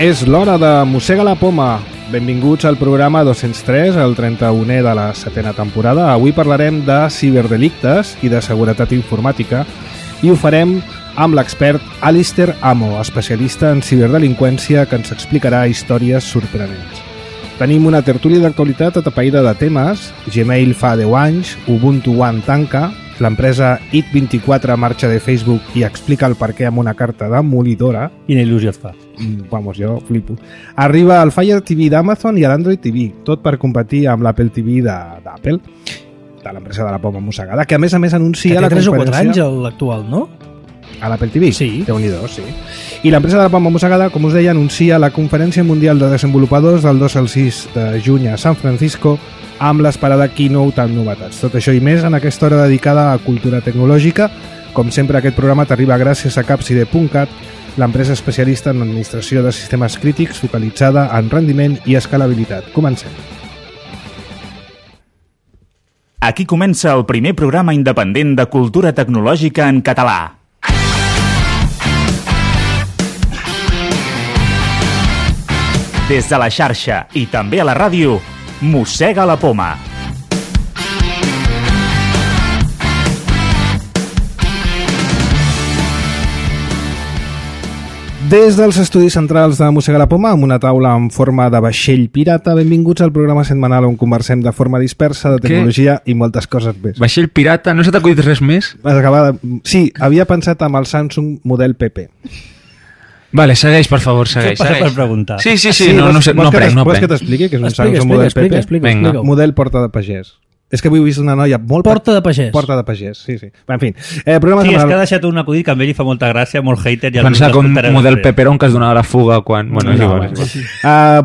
És l'hora de Mossega la Poma. Benvinguts al programa 203, el 31è de la 7a temporada. Avui parlarem de ciberdelictes i de seguretat informàtica i ho farem amb l'expert Alistair Amo, especialista en ciberdelinqüència, que ens explicarà històries sorprenents. Tenim una tertúlia d'actualitat atapeïda de temes. Gmail fa 10 anys, Ubuntu One tanca, l'empresa IT24 marxa de Facebook i explica el perquè amb una carta demolidora. Quina il·lusió et fa? Vamos, jo flipo. Arriba el Fire TV d'Amazon i l'Android TV, tot per competir amb l'Apple TV d'Apple, de l'empresa de la poma mossegada, que a més anuncia la conferència... Que té 3 o 4 anys l'actual, no? A l'Apple TV? Sí. Déu-n'hi-do, sí. I l'empresa de la poma mossegada, com us deia, anuncia la Conferència Mundial de Desenvolupadors del 2 al 6 de juny a San Francisco amb l'esperada keynote amb novetats. Tot això i més en aquesta hora dedicada a cultura tecnològica. Com sempre, aquest programa t'arriba gràcies a Capside.cat, l'empresa especialista en administració de sistemes crítics focalitzada en rendiment i escalabilitat. Comencem. Aquí comença el primer programa independent de cultura tecnològica en català. Des de la xarxa i també a la ràdio, Mossega la Poma. Des dels estudis centrals de Mossega la Poma, amb una taula en forma de vaixell pirata, benvinguts al programa setmanal on conversem de forma dispersa de tecnologia i moltes coses més. Vaixell pirata? No s'ha t'acudit res més? Sí, havia pensat amb el Samsung model PP. Vale, segueix, per favor, segueix. Passa per preguntar. Sí, no prenc. Vols que t'expliqui què és un Samsung model PP? Explica. Model porta de pagès. És que avui he vist una noia molt... Porta de pagès. Porta de pagès, sí. En fi, programa sí, setmanal... és que ha deixat un acudit que a ell li fa molta gràcia, molt hater... Pensar com model peperón que es donava la fuga quan... Bueno, sí.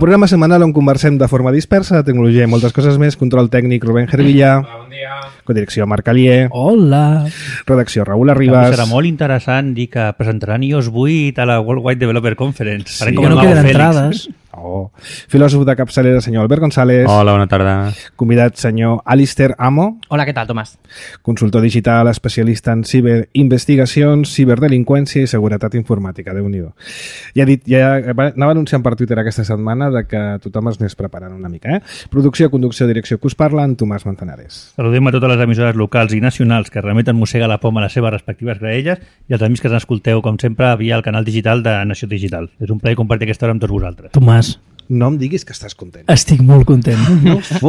Programa setmanal on conversem de forma dispersa, de tecnologia i moltes coses més. Control tècnic, Rubén Gervilla. Bon dia. Codirecció, Marc Alier. Hola. Redacció, Raül Arribas. Serà molt interessant dir que presentaran iOS 8 a la World Wide Developer Conference. Sí, que no queden entrades. Oh. Filòsof de capçalera, senyor Albert González. Hola, bona tarda. Convidat, senyor Alistair Amo. Hola, què tal, Tomàs? Consultor digital, especialista en ciberinvestigacions, ciberdelinqüència i seguretat informàtica. Déu-n'hi-do. Anava anunciant per Twitter aquesta setmana de que tothom es anés preparant una mica. Producció, conducció, direcció, que us parla, en Tomàs Manzanares. Saludem a totes les emissores locals i nacionals que remeten Mossega la Poma a les seves respectives graelles i als amics que ens escolteu, com sempre, via el canal digital de Nació Digital. És un plaer compartir aquesta hora amb tots vosaltres. Tomàs, no em diguis que estàs content. estic molt content.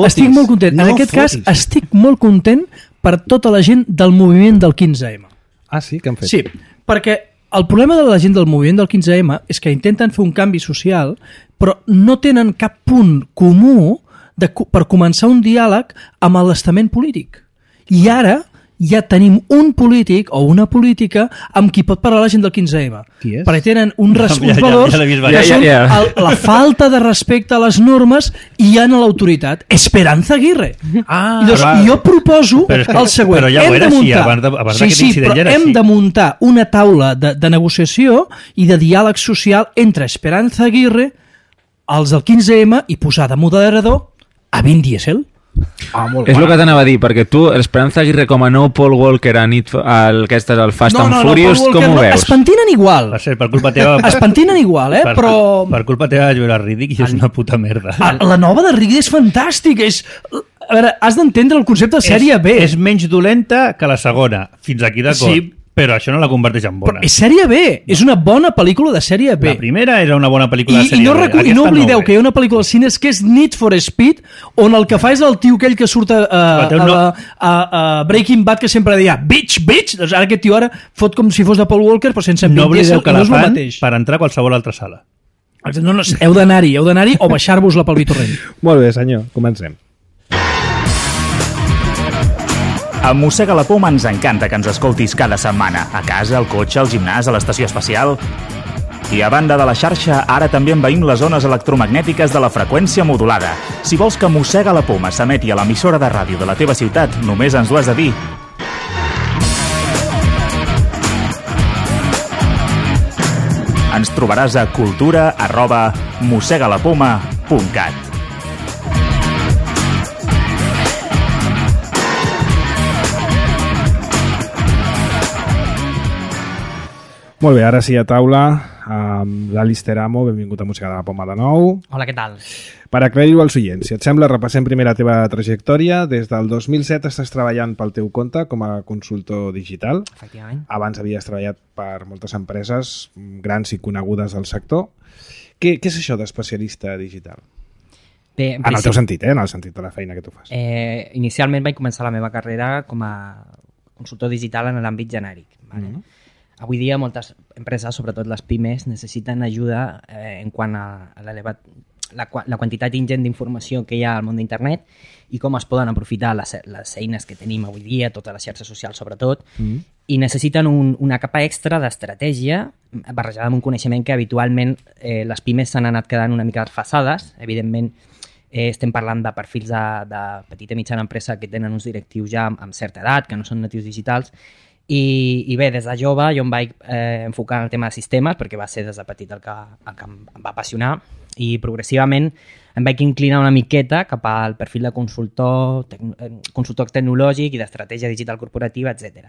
Estic molt content. En aquest cas, estic molt content per tota la gent del moviment del 15M. Ah, sí? Què han fet? Sí, perquè el problema de la gent del moviment del 15M és que intenten fer un canvi social, però no tenen cap punt comú per començar un diàleg amb l'estament polític. I ara ja tenim un polític o una política amb qui pot parlar la gent del 15M. Qui és? Perquè tenen uns valors que són la falta de respecte a les normes i hi ha l'autoritat. Esperanza Aguirre. Jo proposo el següent. Però ja ho era així, abans d'aquest incident ja era així. Hem de muntar una taula de negociació i de diàleg social entre Esperanza Aguirre, els del 15M, i posar de moderador a Vin Diesel. És el que t'anava a dir, perquè tu, l'Esperanza Aguirre com a nou Paul Walker a el Fast and Furious, com ho veus? Es pentinen igual. Va ser per culpa teva... Es pentinen igual, però... Per culpa teva jo era ridíc i és una puta merda. La nova de Riddick és fantàstica, a veure, has d'entendre el concepte de sèrie B. És menys dolenta que la segona, fins aquí d'acord. Sí, però això no la converteix en bona. Però és sèrie B, és una bona pel·lícula de sèrie B. La primera era una bona pel·lícula de sèrie B. I no oblideu que hi ha una pel·lícula als cines que és Need for Speed, on el que fa és el tio aquell que surt a Breaking Bad, que sempre deia bitch, doncs ara aquest tio ara fot com si fos de Paul Walker, però sense no oblideu que la no fan per entrar a qualsevol altra sala. No, heu d'anar-hi o baixar-vos-la pel Vitorrell. Molt bé, senyor, comencem. A Mossega la Poma ens encanta que ens escoltis cada setmana, a casa, al cotxe, al gimnàs, a l'estació espacial. I a banda de la xarxa, ara també envaïm les zones electromagnètiques de la freqüència modulada. Si vols que Mossega la Poma s'emeti a l'emissora de ràdio de la teva ciutat, només ens ho has de dir. Ens trobaràs a cultura@mossegalapoma.cat. Molt bé, ara sí a taula amb l'Alice Teramo, benvingut a Música de la Poma de nou. Hola, què tal? Per aclarir-ho als oients, si et sembla, repassem primer la teva trajectòria. Des del 2007 estàs treballant pel teu compte com a consultor digital. Efectivament. Abans havies treballat per moltes empreses grans i conegudes del sector. Què és això d'especialista digital? Bé, en el teu sentit, en el sentit de la feina que tu fas. Inicialment vaig començar la meva carrera com a consultor digital en l'àmbit genèric. Vale? Avui dia moltes empreses, sobretot les pimes, necessiten ajuda en quant a la quantitat ingent d'informació que hi ha al món d'internet i com es poden aprofitar les eines que tenim avui dia, totes les xarxes socials sobretot, i necessiten una capa extra d'estratègia barrejada amb un coneixement que habitualment les pimes s'han anat quedant una mica desfasades. Evidentment, estem parlant de perfils de petita i mitjana empresa que tenen uns directius ja amb certa edat, que no són natius digitals, i bé, des de jove jo em vaig enfocar en el tema de sistemes perquè va ser des de petit el que em va apassionar i progressivament em vaig inclinar una miqueta cap al perfil de consultor tecnològic i d'estratègia digital corporativa, etc.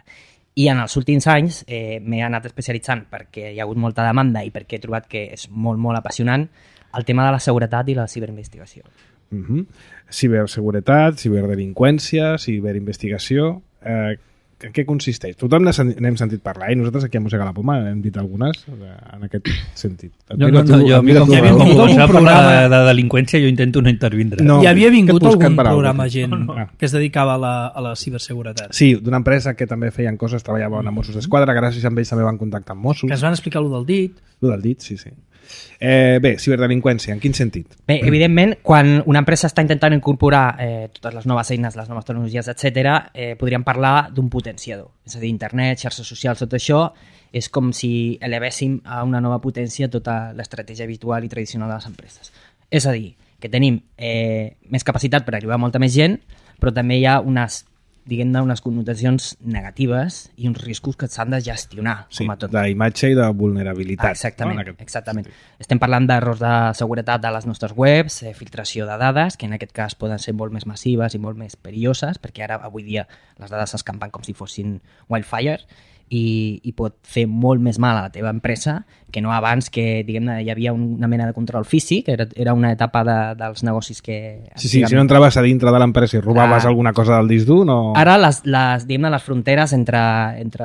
I en els últims anys m'he anat especialitzant perquè hi ha hagut molta demanda i perquè he trobat que és molt, molt apassionant el tema de la seguretat i la ciberinvestigació. Ciberseguretat, ciberdelinqüència, ciberinvestigació... En què consisteix? Tothom n'hem sentit parlar i nosaltres aquí a Música de la Poma hem dit algunes en aquest sentit. Com començar a parlar de delinqüència jo intento no intervindre. Hi havia vingut algun programa gent que es dedicava a la ciberseguretat. Sí, d'una empresa que també feien coses, treballaven a Mossos d'Esquadra, gràcies a ells també van contactar amb Mossos. Que es van explicar allò del dit. Allò del dit, sí. Bé, ciberdelinqüència, en quin sentit? Bé, evidentment, quan una empresa està intentant incorporar totes les noves eines, les noves tecnologies, etc., podríem parlar d'un potenciador. És a dir, internet, xarxes socials, tot això és com si elevéssim a una nova potència tota l'estratègia habitual i tradicional de les empreses. És a dir, que tenim més capacitat per arribar a molta més gent, però també hi ha unes connotacions negatives i uns riscos que s'han de gestionar. Sí, com a tot. d'imatge i de vulnerabilitat. Exactament. Estem parlant d'errors de seguretat de les nostres webs, filtració de dades, que en aquest cas poden ser molt més massives i molt més perilloses, perquè ara, avui dia, les dades s'escampen com si fossin wildfire i pot fer molt més mal a la teva empresa que no abans que, diguem-ne, hi havia una mena de control físic, era una etapa dels negocis que... Sí, si no entraves a dintre de l'empresa i robaves alguna cosa del disc dur, no... Ara, les fronteres entre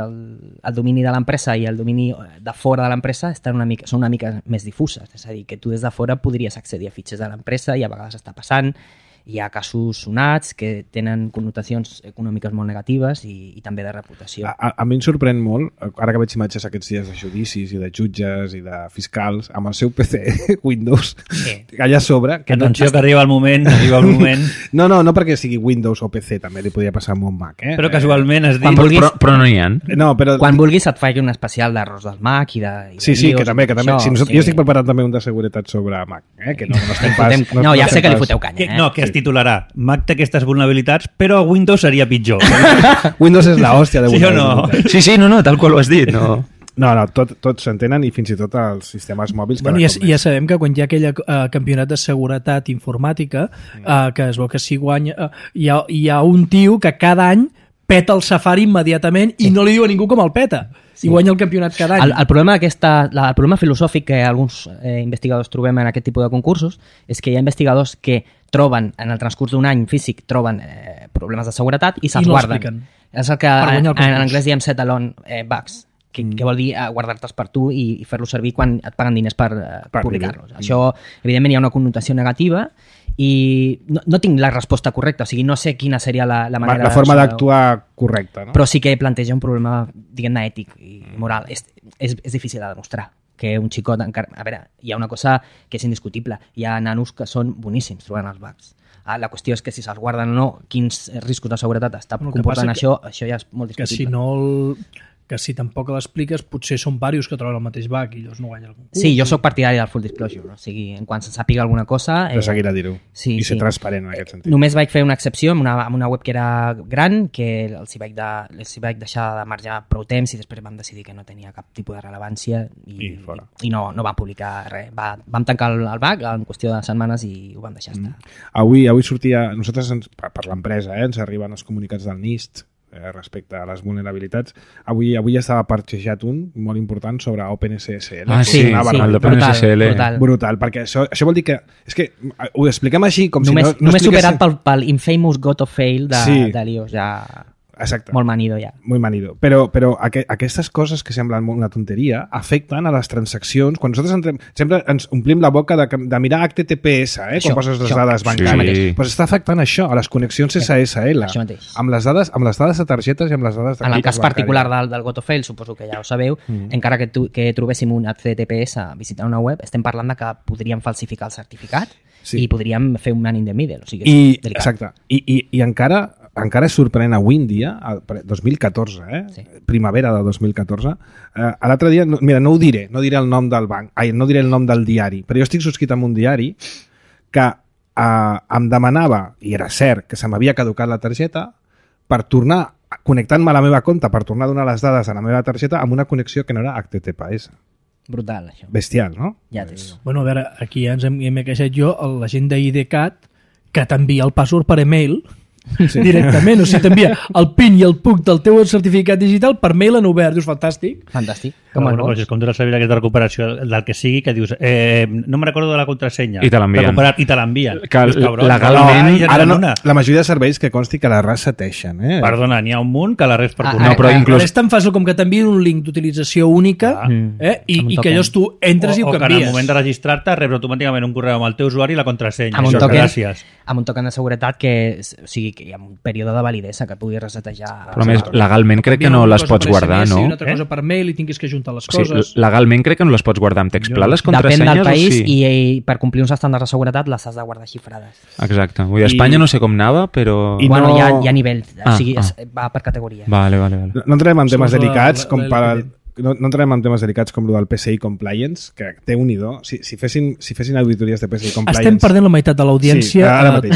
el domini de l'empresa i el domini de fora de l'empresa són una mica més difuses, és a dir, que tu des de fora podries accedir a fitxers de l'empresa i a vegades està passant. Hi ha casos sonats que tenen connotacions econòmiques molt negatives i també de reputació. A mi em sorprèn molt, ara que veig imatges aquests dies de judicis i de jutges i de fiscals, amb el seu PC Windows, allà a sobre... Atenció que arriba el moment. No perquè sigui Windows o PC, també li podia passar amb un Mac. Però casualment has dit... Però no n'hi ha. Quan vulguis et faig un especial d'errors del Mac i de... Sí, que també. Jo estic preparant també un de seguretat sobre Mac, que no estem pas... No, ja sé que li foteu canya. No, que titularà Mac té aquestes vulnerabilitats, però Windows seria pitjor. Windows és l'hòstia de vulnerabilitat. Sí o no? Sí, tal qual ho has dit. No, tots s'entenen i fins i tot els sistemes mòbils... Ja sabem que quan hi ha aquell campionat de seguretat informàtica, que es veu que si guanya... Hi ha un tio que cada any peta el Safari immediatament i no li diu a ningú com el peta. I guanya el campionat cada any. El problema filosòfic que alguns investigadors trobem en aquest tipus de concursos és que hi ha investigadors que troben, en el transcurs d'un any físic, troben problemes de seguretat i se'ls guarden. És el que en anglès diem set alone bugs, que vol dir guardar-te'ls per tu i fer-los servir quan et paguen diners per publicar-los. Això, evidentment, hi ha una connotació negativa i no tinc la resposta correcta, o sigui, no sé quina seria la manera... La forma d'actuar correcta, no? Però sí que planteja un problema, diguem-ne, ètic i moral. És difícil de demostrar que un xicot encara... A veure, hi ha una cosa que és indiscutible. Hi ha nanos que són boníssims trobant els bugs. La qüestió és que si se'ls guarden o no, quins riscos de seguretat està comportant això ja és molt discutible. Que si tampoc l'expliques, potser són diversos que troben el mateix bug i llavors no guanya el concurs. Sí, jo sóc partidari del full disclosure, o sigui, en quan se sàpiga alguna cosa... De seguir a dir-ho i ser transparent en aquest sentit. Només vaig fer una excepció amb una web que era gran, que els hi vaig deixar de marjar prou temps i després vam decidir que no tenia cap tipus de rellevància i no vam publicar res. Vam tancar el bug en qüestió de setmanes i ho vam deixar estar. Avui sortia... Nosaltres, per l'empresa, ens arriben els comunicats del NIST, respecte a les vulnerabilitats. Avui estava parxejat un molt important sobre OpenSSL. Sí, brutal, perquè això vol dir que... És que ho expliquem així com només, si no només superat pel infamous got of fail de l'iOS, ja... Exacte. Molt manido ja. Molt manido. Però aquestes coses que semblen una tonteria afecten a les transaccions. Quan nosaltres sempre ens omplim la boca de mirar HTTPS, quan poses les dades bancàries. Pues està afectant això, a les connexions SSL. Això mateix. Amb les dades de targetes i amb les dades de... En el cas particular del got of fail, suposo que ja ho sabeu, encara que trobéssim un HTTPS visitant una web, estem parlant de que podríem falsificar el certificat i podríem fer un man in the middle. O sigui, és delicat. Exacte. I encara és sorprenent avui en dia, 2014, primavera de 2014, l'altre dia, mira, no diré el nom del banc, no diré el nom del diari, però jo estic subscrit amb un diari que em demanava, i era cert, que se m'havia caducat la targeta per tornar, connectant-me a la meva compte, per tornar a donar les dades a la meva targeta amb una connexió que no era HTTPS. Brutal, això. Bestial, no? Ja t'és. Bueno, a veure, aquí ja ens hem queixat jo, la gent d'IDCAT, que t'envia el password per email directament, o sigui, t'envia el PIN i el PUC del teu certificat digital per mail en obert, dius, fantàstic. Com tu la sabies aquesta recuperació del que sigui, que dius, no me recordo de la contrasenya. I te l'envien. I te l'envien. Legalment... Ara no, la majoria de serveis que consti que la reseteixen. Perdona, n'hi ha un munt que la res per no, però inclús... És tan fàcil com que t'envien un link d'utilització única i que llavors tu entres i ho canvies. O que en el moment de registrar-te rebre automàticament un correu amb el teu usuari i la contrasenya. Amb un token de seguretat que hi ha un període de validesa que pugui resetejar. Però més, legalment crec que no les pots guardar, no? Si una altra cosa per mail i tinguis que ajuntar les coses. Legalment crec que no les pots guardar amb text pla, les contrasenyes. Depèn del país i per complir uns estàndards de seguretat les has de guardar xifrades. Exacte. Vull dir, a Espanya no sé com anava, però... Bueno, hi ha nivells, o sigui, va per categoria. Vale. No entrem en temes delicats com per... No entrem en temes delicats com el del PCI Compliance, que té un idó. Si fessin auditories de PCI Compliance... Estem perdent la meitat de l'audiència. Sí, ara mateix.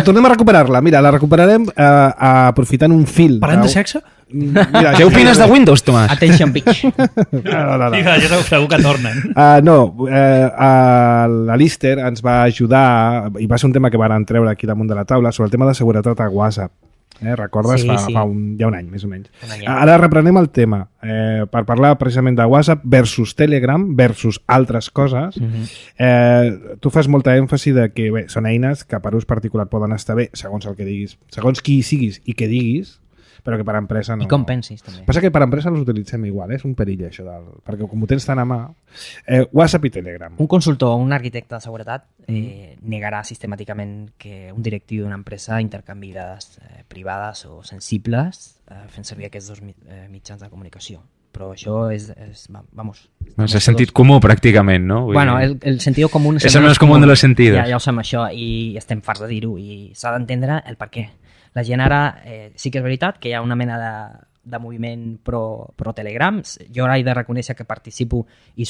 Tornem a recuperar-la. Mira, la recuperarem aprofitant un fil. Parlant de sexe? Mira, què opines de Windows, Tomàs? Attention, bitch. No. Jo segur que tornen. L'Alister ens va ajudar, i va ser un tema que van treure aquí damunt de la taula, sobre el tema de seguretat a WhatsApp. Recordes? Fa ja un any, més o menys. Ara reprenem el tema per parlar precisament de WhatsApp versus Telegram versus altres coses. Tu fas molta èmfasi de que són eines que per ús particular poden estar bé segons el que diguis, segons qui siguis i què diguis, però que per empresa no. I com pensis, també. Passa que per empresa els utilitzem igual, és un perill això, perquè com ho tens tan a mà... WhatsApp i Telegram. Un consultor o un arquitecte de seguretat negarà sistemàticament que un directiu d'una empresa intercanviï dades privades o sensibles fent servir aquests dos mitjans de comunicació. Però això és vamos... És sentit comú, pràcticament, no? Bueno, el sentido común... És el més comú de los sentidos. Ja ho sabem, això, i estem farts de dir-ho, i s'ha d'entendre el per què. La gent ara, sí que és veritat que hi ha una mena de moviment pro Telegram. Jo ara he de reconèixer que participo i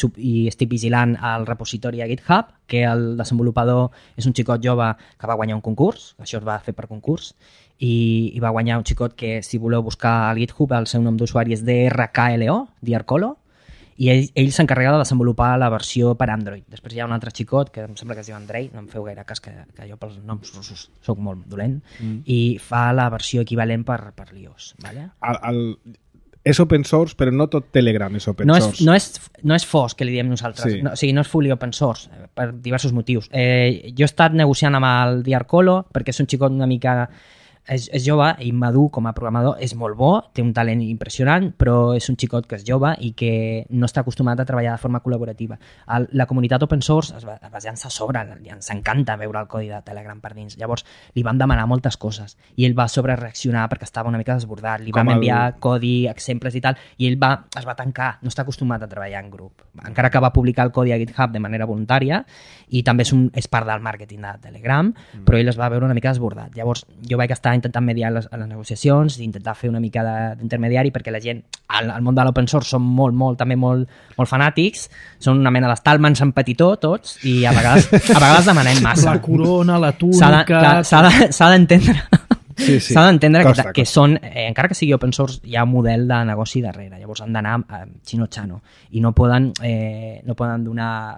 estic vigilant al repositori a GitHub, que el desenvolupador és un xicot jove que va guanyar un concurs, això es va fer per concurs, i va guanyar un xicot que, si voleu buscar al GitHub, el seu nom d'usuari és DRKLO, Diarcolo, i ell s'encarrega de desenvolupar la versió per Android. Després hi ha un altre xicot que em sembla que es diu Andrei, no em feu gaire cas que jo pels noms russos soc molt dolent, i fa la versió equivalent per l'iOS. Vale? És open source, però no tot Telegram és open source. No és FOSS, que li diem nosaltres. Sí. O sigui, no és fully open source, per diversos motius. Jo he estat negociant amb el Diarcolo, perquè és un xicot una mica... És jove i madur com a programador, és molt bo, té un talent impressionant, però és un xicot que és jove i que no està acostumat a treballar de forma col·laborativa. La comunitat open source es llança a sobre, ens encanta veure el codi de Telegram per dins. Llavors li vam demanar moltes coses i ell va sobrereaccionar perquè estava una mica desbordat. Li vam enviar codi, exemples i tal, i ell es va tancar, no està acostumat a treballar en grup. Encara que va publicar el codi a GitHub de manera voluntària i també és part del màrqueting de Telegram, però ell es va veure una mica desbordat. Llavors jo vaig estar intentant mediar les negociacions, intentar fer una mica d'intermediari, perquè la gent al món de l'open source són també molt fanàtics, són una mena d'estalmans en petitó tots, i a vegades demanem massa. La corona, la túnica... S'ha d'entendre Sí. S'ha d'entendre Costa. que són, encara que sigui open source, hi ha un model de negoci darrere. Llavors han d'anar xino-xano i no poden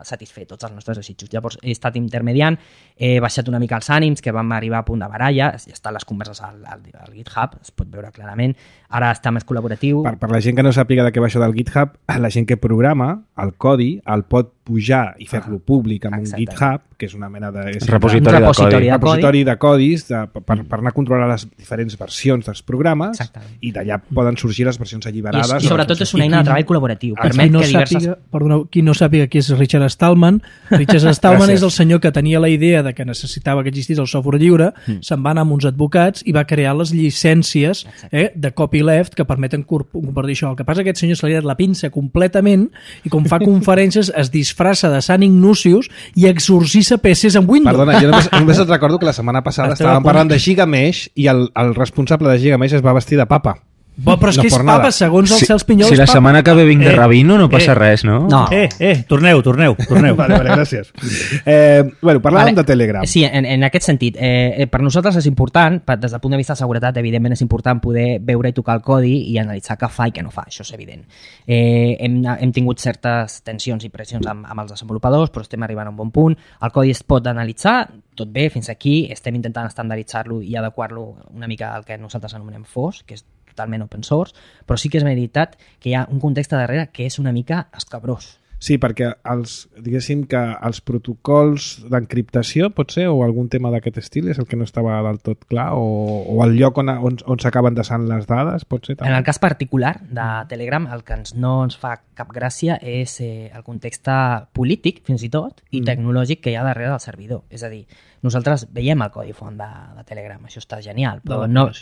satisfer tots els nostres desitjos. Llavors he estat intermediant, he baixat una mica els ànims, que vam arribar a punt de baralla, estan les converses al GitHub, es pot veure clarament. Ara està més col·laboratiu. Per la gent que no sàpiga de què va això del GitHub, la gent que programa el codi el pot pujar i fer-lo públic amb un GitHub, que és una mena de... repositori de codis per anar a controlar les diferents versions dels programes. Exactament. I d'allà poden sorgir les versions alliberades. I sobretot és una eina de treball col·laboratiu. Permet que diverses... Qui no sàpiga qui és Richard Stallman, Richard Stallman és el senyor que tenia la idea de que necessitava que existís el software lliure, se'n va anar amb uns advocats i va crear les llicències de copyleft que permeten compartir això. El que passa és que aquest senyor se li ha dat la pinça completament i com fa conferències es disfressa de Sant Ignatius i exorcissa PCs amb Windows. Perdona, jo només et recordo que la setmana passada estàvem parlant de Gigamesh i el responsable de Gigamesh es va vestir de papa. Però és que és papa, segons el Cels Pinyol. Si la setmana que ve vinc de rabino no passa res, no? No. Torneu. Vale, gràcies. Parlàvem de Telegram. Sí, en aquest sentit, per nosaltres és important, des del punt de vista de seguretat, evidentment és important poder veure i tocar el codi i analitzar què fa i què no fa, això és evident. Hem tingut certes tensions i pressions amb els desenvolupadors, però estem arribant a un bon punt. El codi es pot analitzar, tot bé, fins aquí, estem intentant estandarditzar-lo i adequar-lo una mica al que nosaltres anomenem FOSS, que és totalment open source, però sí que és veritat que hi ha un context darrere que és una mica escabrós. Sí, perquè diguéssim que els protocols d'encriptació, pot ser, o algun tema d'aquest estil, és el que no estava del tot clar, o el lloc on s'acaben desant les dades, pot ser també. En el cas particular de Telegram, el que no ens fa cap gràcia és el context polític, fins i tot, i tecnològic que hi ha darrere del servidor. És a dir, nosaltres veiem el codi font de Telegram, això està genial. Però no del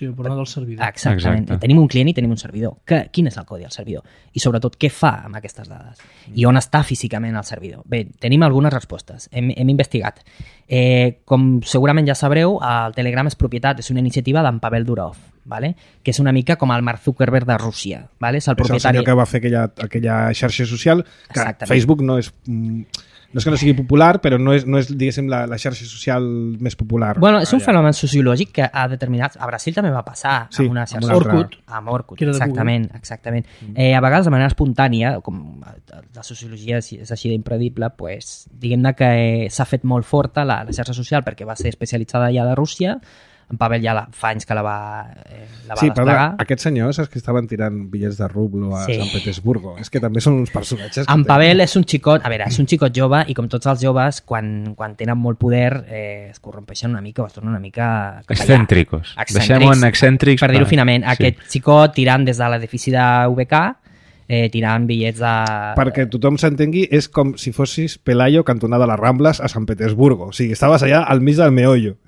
servidor. Exactament. Exacte. Tenim un client i tenim un servidor. Quin és el codi del servidor? I sobretot, què fa amb aquestes dades? I on està físicament el servidor? Bé, tenim algunes respostes. Hem investigat. Com segurament ja sabreu, el Telegram és propietat, és una iniciativa d'en Pavel Durov, ¿vale? Que és una mica com el Mark Zuckerberg de Rússia. ¿Vale? És el propietari... senyor que va fer aquella xarxa social, que Exactament. Facebook no és que no sigui popular, però no és diguéssim, la xarxa social més popular. Bueno, és un fenomen sociològic que ha determinat... A Brasil també va passar amb una xarxa... Amb Orkut, exactament. A vegades, de manera espontània, com la sociologia és així d'impredible, pues, diguem-ne que s'ha fet molt forta la xarxa social perquè va ser especialitzada ja de Rússia. En Pavel ja fa anys que la va desplegar. Però aquests senyors és que estaven tirant bitllets de rublo a Sant Petersburgo. És que també són uns personatges... En Pavel és un xicot, és un xicot jove i com tots els joves, quan tenen molt poder es corrompeixen una mica o es tornen una mica... Excèntricos. Deixem-ho en excèntrics. Per dir-ho finament, aquest xicot tirant des de l'edifici de VK, tirant bitllets de... Perquè tothom s'entengui, és com si fossis Pelayo cantonada a les Rambles a Sant Petersburgo. O sigui, estaves allà al mig del meollo.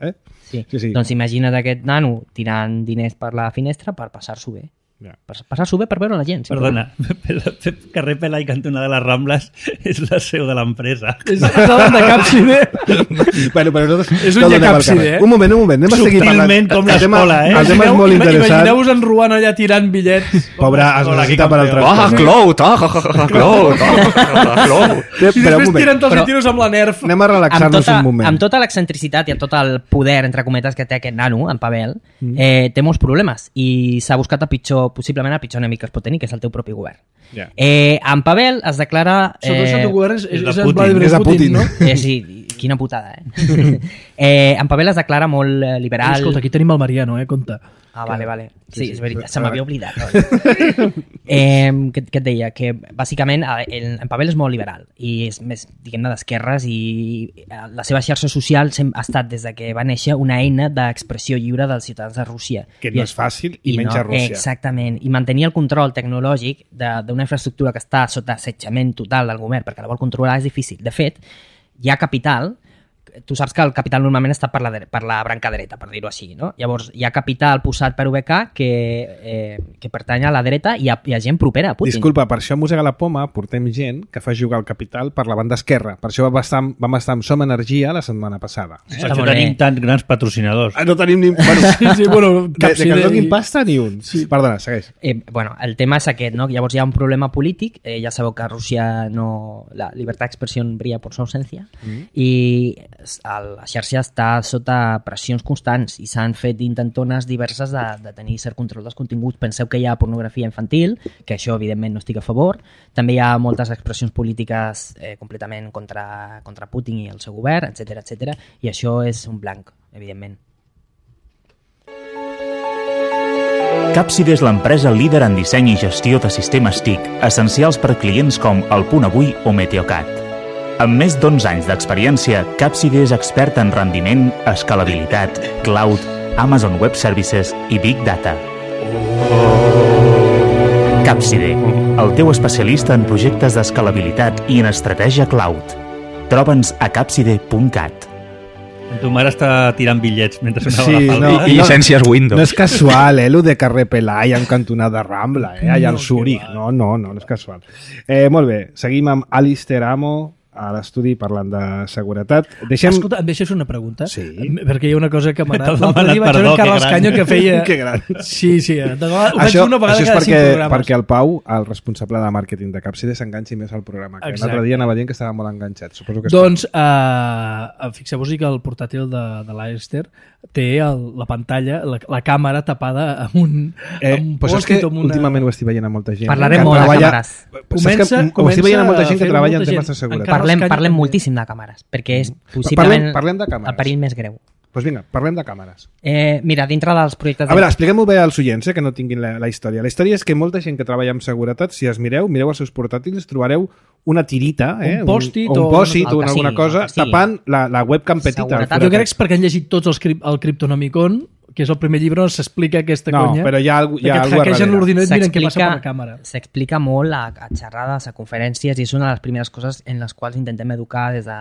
Sí. Doncs imagina't aquest nano tirant diners per la finestra per passar-s'ho bé. Per passar-s'ho bé per veure la gent. Perdona, carrer Pelai cantonada de les Rambles és la seu de l'empresa. És davant de Capside. Bueno, però nosaltres... És un Capside, Un moment, anem a seguir parlant. Subtilment com l'escola, El tema és molt interessant. Imagineu-vos en Ruan allà tirant bitllets. Pobre, es necessita per altres coses. I després tiren tots els tiros amb la Nerf. Anem a relaxar-nos un moment. Amb tota l'excentricitat i amb tot el poder, entre cometes, que té aquest nano, en Pavel, té molts problemes i s'ha buscat possiblement el pitjor enemic que es pot tenir, que és el teu propi govern. En Pavel es declara... Sota el teu govern és de Putin, no? Sí, quina putada, en Pavel es declara molt liberal... Escolta, aquí tenim el Mariano, compte. Vale. Sí, és veritat, se m'havia oblidat. Què et deia? Que bàsicament en Pavel és molt liberal i és més, diguem-ne, d'esquerres i la seva xarxa social ha estat des de que va néixer una eina d'expressió lliure dels ciutadans de Rússia. Que no és fàcil i menys a Rússia. Exactament. I mantenir el control tecnològic d'una infraestructura que està sota assetjament total del govern perquè la vol controlar és difícil. De fet, hi ha capital... Tu saps que el capital normalment està per la branca dreta, per dir-ho així, no? Llavors, hi ha capital posat per UBK que pertany a la dreta i hi ha gent propera a Putin. Disculpa, per això a Mossega la Poma portem gent que fa jugar el capital per la banda esquerra. Per això vam estar amb Som Energia la setmana passada. Per això tenim tants grans patrocinadors. No tenim ni... Bueno, de que ens donin pasta ni un. Perdona, segueix. El tema és aquest, no? Llavors hi ha un problema polític. Ja sabeu que a Rússia la llibertat d'expressió brilla per su ausència. I la xarxa està sota pressions constants i s'han fet intentones diverses de tenir cert control dels continguts. Penseu que hi ha pornografia infantil, que això evidentment no estic a favor. També hi ha moltes expressions polítiques completament contra Putin i el seu govern, etc, i això és un blanc, evidentment. Capside és l'empresa líder en disseny i gestió de sistemes TIC, essencials per clients com El Punt Avui o Meteocat. Amb més d'11 anys d'experiència, Capside és expert en rendiment, escalabilitat, cloud, Amazon Web Services i Big Data. Capside, el teu especialista en projectes d'escalabilitat i en estratègia cloud. Troba'ns a capside.cat. Tu mare està tirant bitllets mentre sonava Sí, la no, falda. I llicències Windows. No és casual, lo de carrer Pelai en cantonada Rambla, allà al Zúrich. No és casual. Molt bé, seguim amb Alistair Amo a l'estudi parlant de seguretat. Escolta, em deixes una pregunta? Sí. Perquè hi ha una cosa que m'ha T'has anat. L'altre dia demanat vaig veure perdó, en Carles que gran. Canyo que feia... Que gran. Sí, ho vaig Això, dir una vegada això és cada 5 programes. perquè el Pau, el responsable de màrqueting de Capside, s'enganxi més al programa. Que Exacte. l'altre dia anava dient que estava molt enganxat. Suposo que Doncs fixeu-vos que el portàtil de l'Alistair té la pantalla, la càmera tapada amb un pues és que post-it o amb una... últimament ho estic veient a molta gent. Parlarem que molt de treballa- càmeres. Saps que ho estic veient a molta gent que fer treballa en molta temes gent. de seguretat. Carles Canyo Parlem també. moltíssim de càmeres, perquè és possiblement Parlem de càmeres. el perill més greu. Doncs vinga, parlem de càmeres. Mira, dintre dels projectes... A veure, expliquem-ho bé als oients, que no tinguin la història. La història és que molta gent que treballa amb seguretat, si es mireu els seus portàtils, trobareu una tirita, Un pòstit un o pòsit el o que alguna sigui, cosa, el que sigui. tapant la webcam petita. Seguretat. Jo crec que és perquè han llegit tots el Cryptonomicon, que és el primer llibre on s'explica aquesta No, conya. però hi ha que et alguna hackegen cosa l'ordinador i miren què passa per la càmera. S'explica molt a xerrades, a conferències, i és una de les primeres coses en les quals intentem educar des de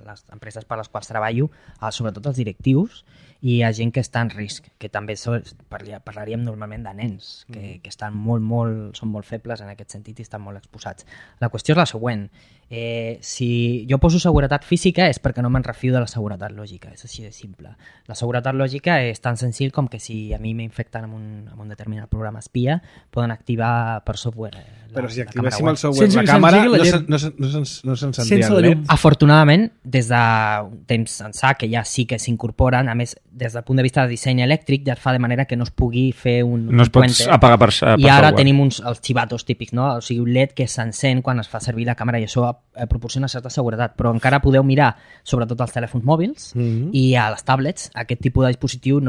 les empreses per les quals treballo, sobretot els directius, i a gent que està en risc, que també parlaríem normalment de nens, que estan són molt febles en aquest sentit i estan molt exposats. La qüestió és la següent. Si jo poso seguretat física és perquè no me'n refio de la seguretat lògica, és així de simple. La seguretat lògica és tan senzill com que si a mi m'infecten amb un determinat programa espia, poden activar per software Però si la activéssim càmera el web. software, Sense la que càmera, s'engegui la no s'encendria Sense la el llum. LED. Afortunadament, des de temps ençà, que ja sí que s'incorporen, a més, des del punt de vista de disseny elèctric, ja es fa de manera que no es pugui fer No es pot puente. apagar per I ara software. tenim els xivatos típics, no? O sigui, un LED que s'encén quan es fa servir la càmera i això proporciona certa seguretat, però encara podeu mirar, sobretot als telèfons mòbils i a les tablets, aquest tipus de dispositiu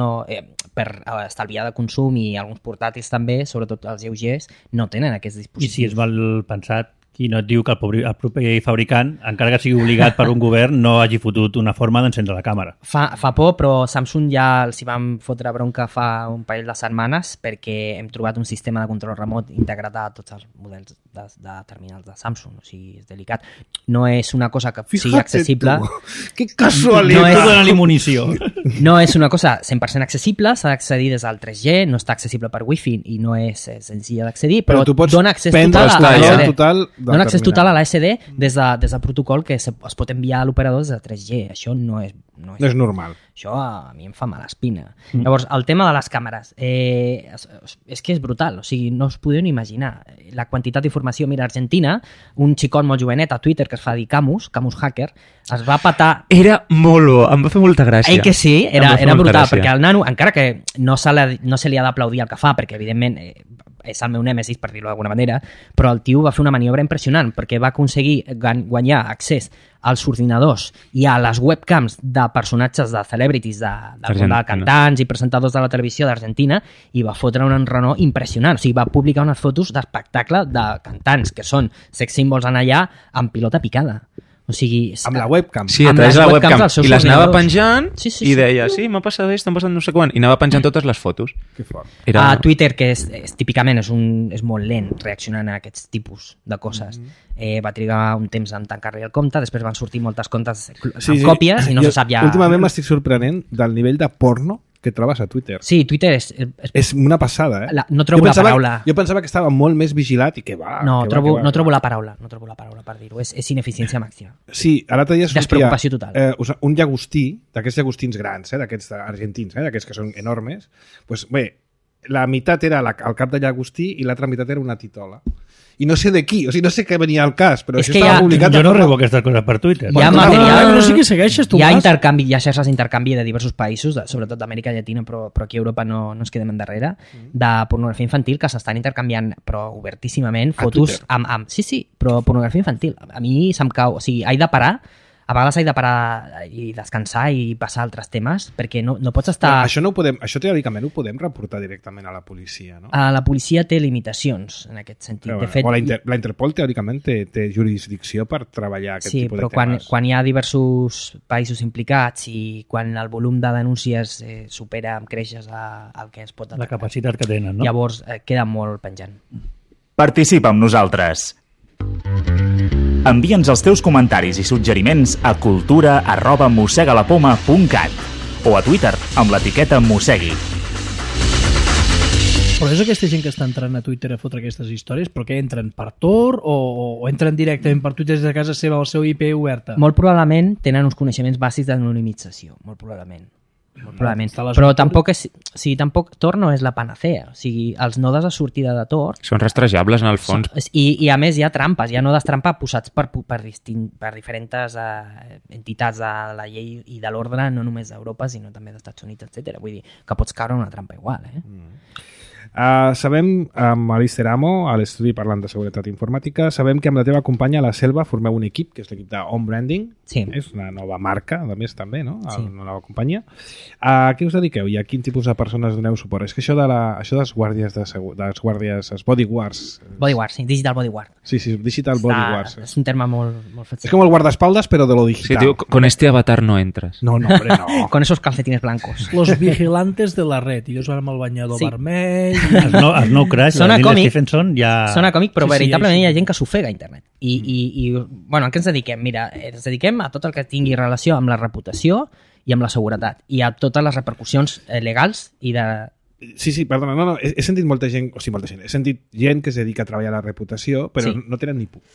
per estalviar de consum, i alguns portàtils també, sobretot els lleugers, no tenen aquests I dispositius. si és mal pensat, qui no et diu que el propi fabricant, encara que sigui obligat per un govern, no hagi fotut una forma d'encendre la càmera. Fa por, però Samsung ja els hi vam fotre bronca fa un parell de setmanes perquè hem trobat un sistema de control remot integrat a tots els models de terminals de Samsung, o sigui, és delicat. No és una cosa que sigui accessible. Que casualitat! No és- Tu dona-li munició. No és una cosa 100% accessible, s'ha d'accedir des del 3G, no està accessible per Wi-Fi i no és senzilla d'accedir, però tu pots dona accés prendre total a el la control SD. total del Dona accés terminal. total a la SD des del protocol que es pot enviar a l'operador des de 3G. Això no és No és normal. això a mi em fa mala espina. Llavors, el tema de les càmeres és que és brutal, o sigui, no us podeu ni imaginar la quantitat d'informació. Mira, a Argentina, un xicot molt jovenet a Twitter que es fa dir Camus Hacker, es va patar... Era molt bo, em va fer molta gràcia. Que sí, Em va fer era molta brutal, gràcia. perquè el nano, encara que no se li ha d'aplaudir el que fa, perquè evidentment és el meu nèmesis, per dir-ho d'alguna manera, però el tio va fer una maniobra impressionant, perquè va aconseguir guanyar accés als ordinadors i a les webcams de personatges de celebrities, de cantants i presentadors de la televisió d'Argentina, i va fotre un enrenou impressionant. O sigui, va publicar unes fotos d'espectacle de cantants que són sex symbols en allà amb pilota picada. O sigui... Amb la webcam. Sí, a amb través de les la webcams webcam. dels seus I les anava ordinadors. penjant Sí, i deia, sí, m'ha passat esto, m'ha passat no sé quan. I anava penjant totes les fotos. Que fort. Era... A Twitter, que típicament és molt lent reaccionant a aquests tipus de coses. Va trigar un temps en tancar-li el compte, després van sortir moltes comptes amb còpies i no se sap ja... Últimament m'estic sorprenent del nivell de porno que trobes a Twitter. Sí, Twitter És una passada, no trobo la paraula. Jo pensava que estava molt més vigilat i que va... No trobo la paraula per dir-ho. És ineficiència màxima. Sí, l'altre dia sortia... Despreocupació total. Un llagostí, d'aquests llagostins grans, d'aquests argentins, d'aquests que són enormes, doncs bé, la meitat era el cap de llagostí i l'altra meitat era una titola. i no sé de qui, o sigui, no sé què venia al cas, però És això que estava ja- publicat... Jo no rebo aquestes coses per Twitter. Hi ha No, material, però sí que segueixes tu. hi ha Mas. intercanvi, hi ha xarxes d'intercanvi de diversos països, sobretot d'Amèrica Llatina, però aquí a Europa no ens quedem endarrere, de pornografia infantil que s'estan intercanviant, però obertíssimament, fotos amb... Sí, però pornografia infantil. A mi se'm cau... O sigui, a vegades he de parar i descansar i passar a altres temes, perquè no pots estar... Això teòricament ho podem reportar directament a la policia, no? La policia té limitacions en aquest sentit. Però, De fet, la Interpol teòricament té jurisdicció per treballar aquest sí, tipus de però temes. quan hi ha diversos països implicats i quan el volum de denúncies supera amb creixes el que es pot La atacar, capacitat que tenen, no? llavors queda molt penjant. Participa amb nosaltres. Envia'ns els teus comentaris i suggeriments a cultura@mossegalapoma.cat o a Twitter amb l'etiqueta Mossegui. Però és aquesta gent que està entrant a Twitter a fotre aquestes històries, però que entren per Tor o entren directament per Twitter des de casa seva o el seu IP oberta? Molt probablement tenen uns coneixements bàsics d'anonimització, molt probablement. Molt probablement. Està les Però aventures. tampoc Tor no és la panacea. O sigui, els nodes de sortida de Tor Són rastrejables, en el fons. I a més hi ha trampes, hi ha nodes trampa posats per diferents entitats de la llei i de l'ordre, no només d'Europa, sinó també dels Estats Units, etc. Vull dir que pots caure en una trampa igual. Sabem, amb Alister Amo, a l'estudi parlant de seguretat informàtica, sabem que amb la teva companya, la Selva, formeu un equip, que és l'equip d'On Branding. Sí. És una nova marca, a més, també, no? Sí. Una nova companyia. A què us dediqueu i a quin tipus de persones doneu suport? És que això dels guàrdies dels bodyguards... Bodyguard, sí, digital bodyguard. Sí, digital bodyguards. És un terme molt fàcil. És com el guardaespaldes, però de lo Sí, digital. diu, con este avatar no entres. No, hombre, no. Con esos calcetines blancos. Los vigilantes de la red. I jo amb el banyador Sí. vermell... El nou Crash, Sona de Neil còmic. Stephenson, ja... Sona còmic, però Sí, sí, veritablement sí. hi ha gent que s'ofega a internet. I bueno, a què ens dediquem? Mira, ens dediquem a tot el que tingui relació amb la reputació i amb la seguretat i a totes les repercussions legals i de... Sí, perdona, no, he sentit molta gent, he sentit gent que es dedica a treballar la reputació, però Sí. no tenen ni puta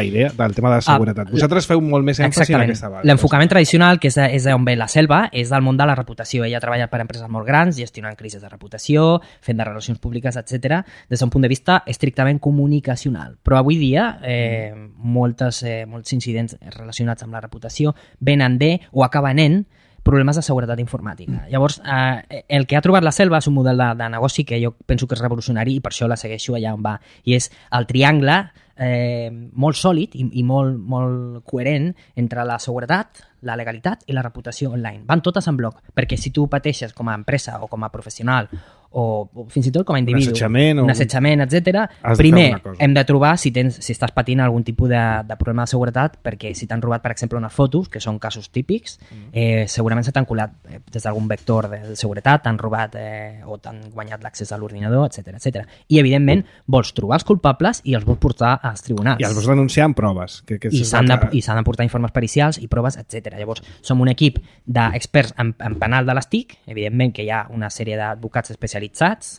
idea del tema de la seguretat. Vosaltres feu molt més èmfasi en aquesta base. L'enfocament tradicional, que és d'on ve la Selva, és del món de la reputació. Ella ha treballat per empreses molt grans, gestionant crisis de reputació, fent de relacions públiques, etc. des d'un punt de vista estrictament comunicacional. Però avui dia molts incidents relacionats amb la reputació venen de o acaben en problemes de seguretat informàtica. Llavors, el que ha trobat la Selva és un model de negoci que jo penso que és revolucionari i per això la segueixo allà on va. I és el triangle molt sòlid i molt coherent entre la seguretat, la legalitat i la reputació online. Van totes en bloc, perquè si tu pateixes com a empresa o com a professional o fins i tot com a individu, un assetjament, etc. Primer hem de trobar si estàs patint algun tipus de problema de seguretat, perquè si t'han robat, per exemple, unes fotos, que són casos típics, segurament se t'han colat des d'algun vector de seguretat, t'han robat o t'han guanyat l'accés a l'ordinador, etc. I, evidentment, vols trobar els culpables i els vols portar als tribunals. I els vols denunciar amb proves. I s'han de portar informes pericials i proves, etc. Llavors, som un equip d'experts en penal de les TIC, evidentment que hi ha una sèrie d'advocats especialitzats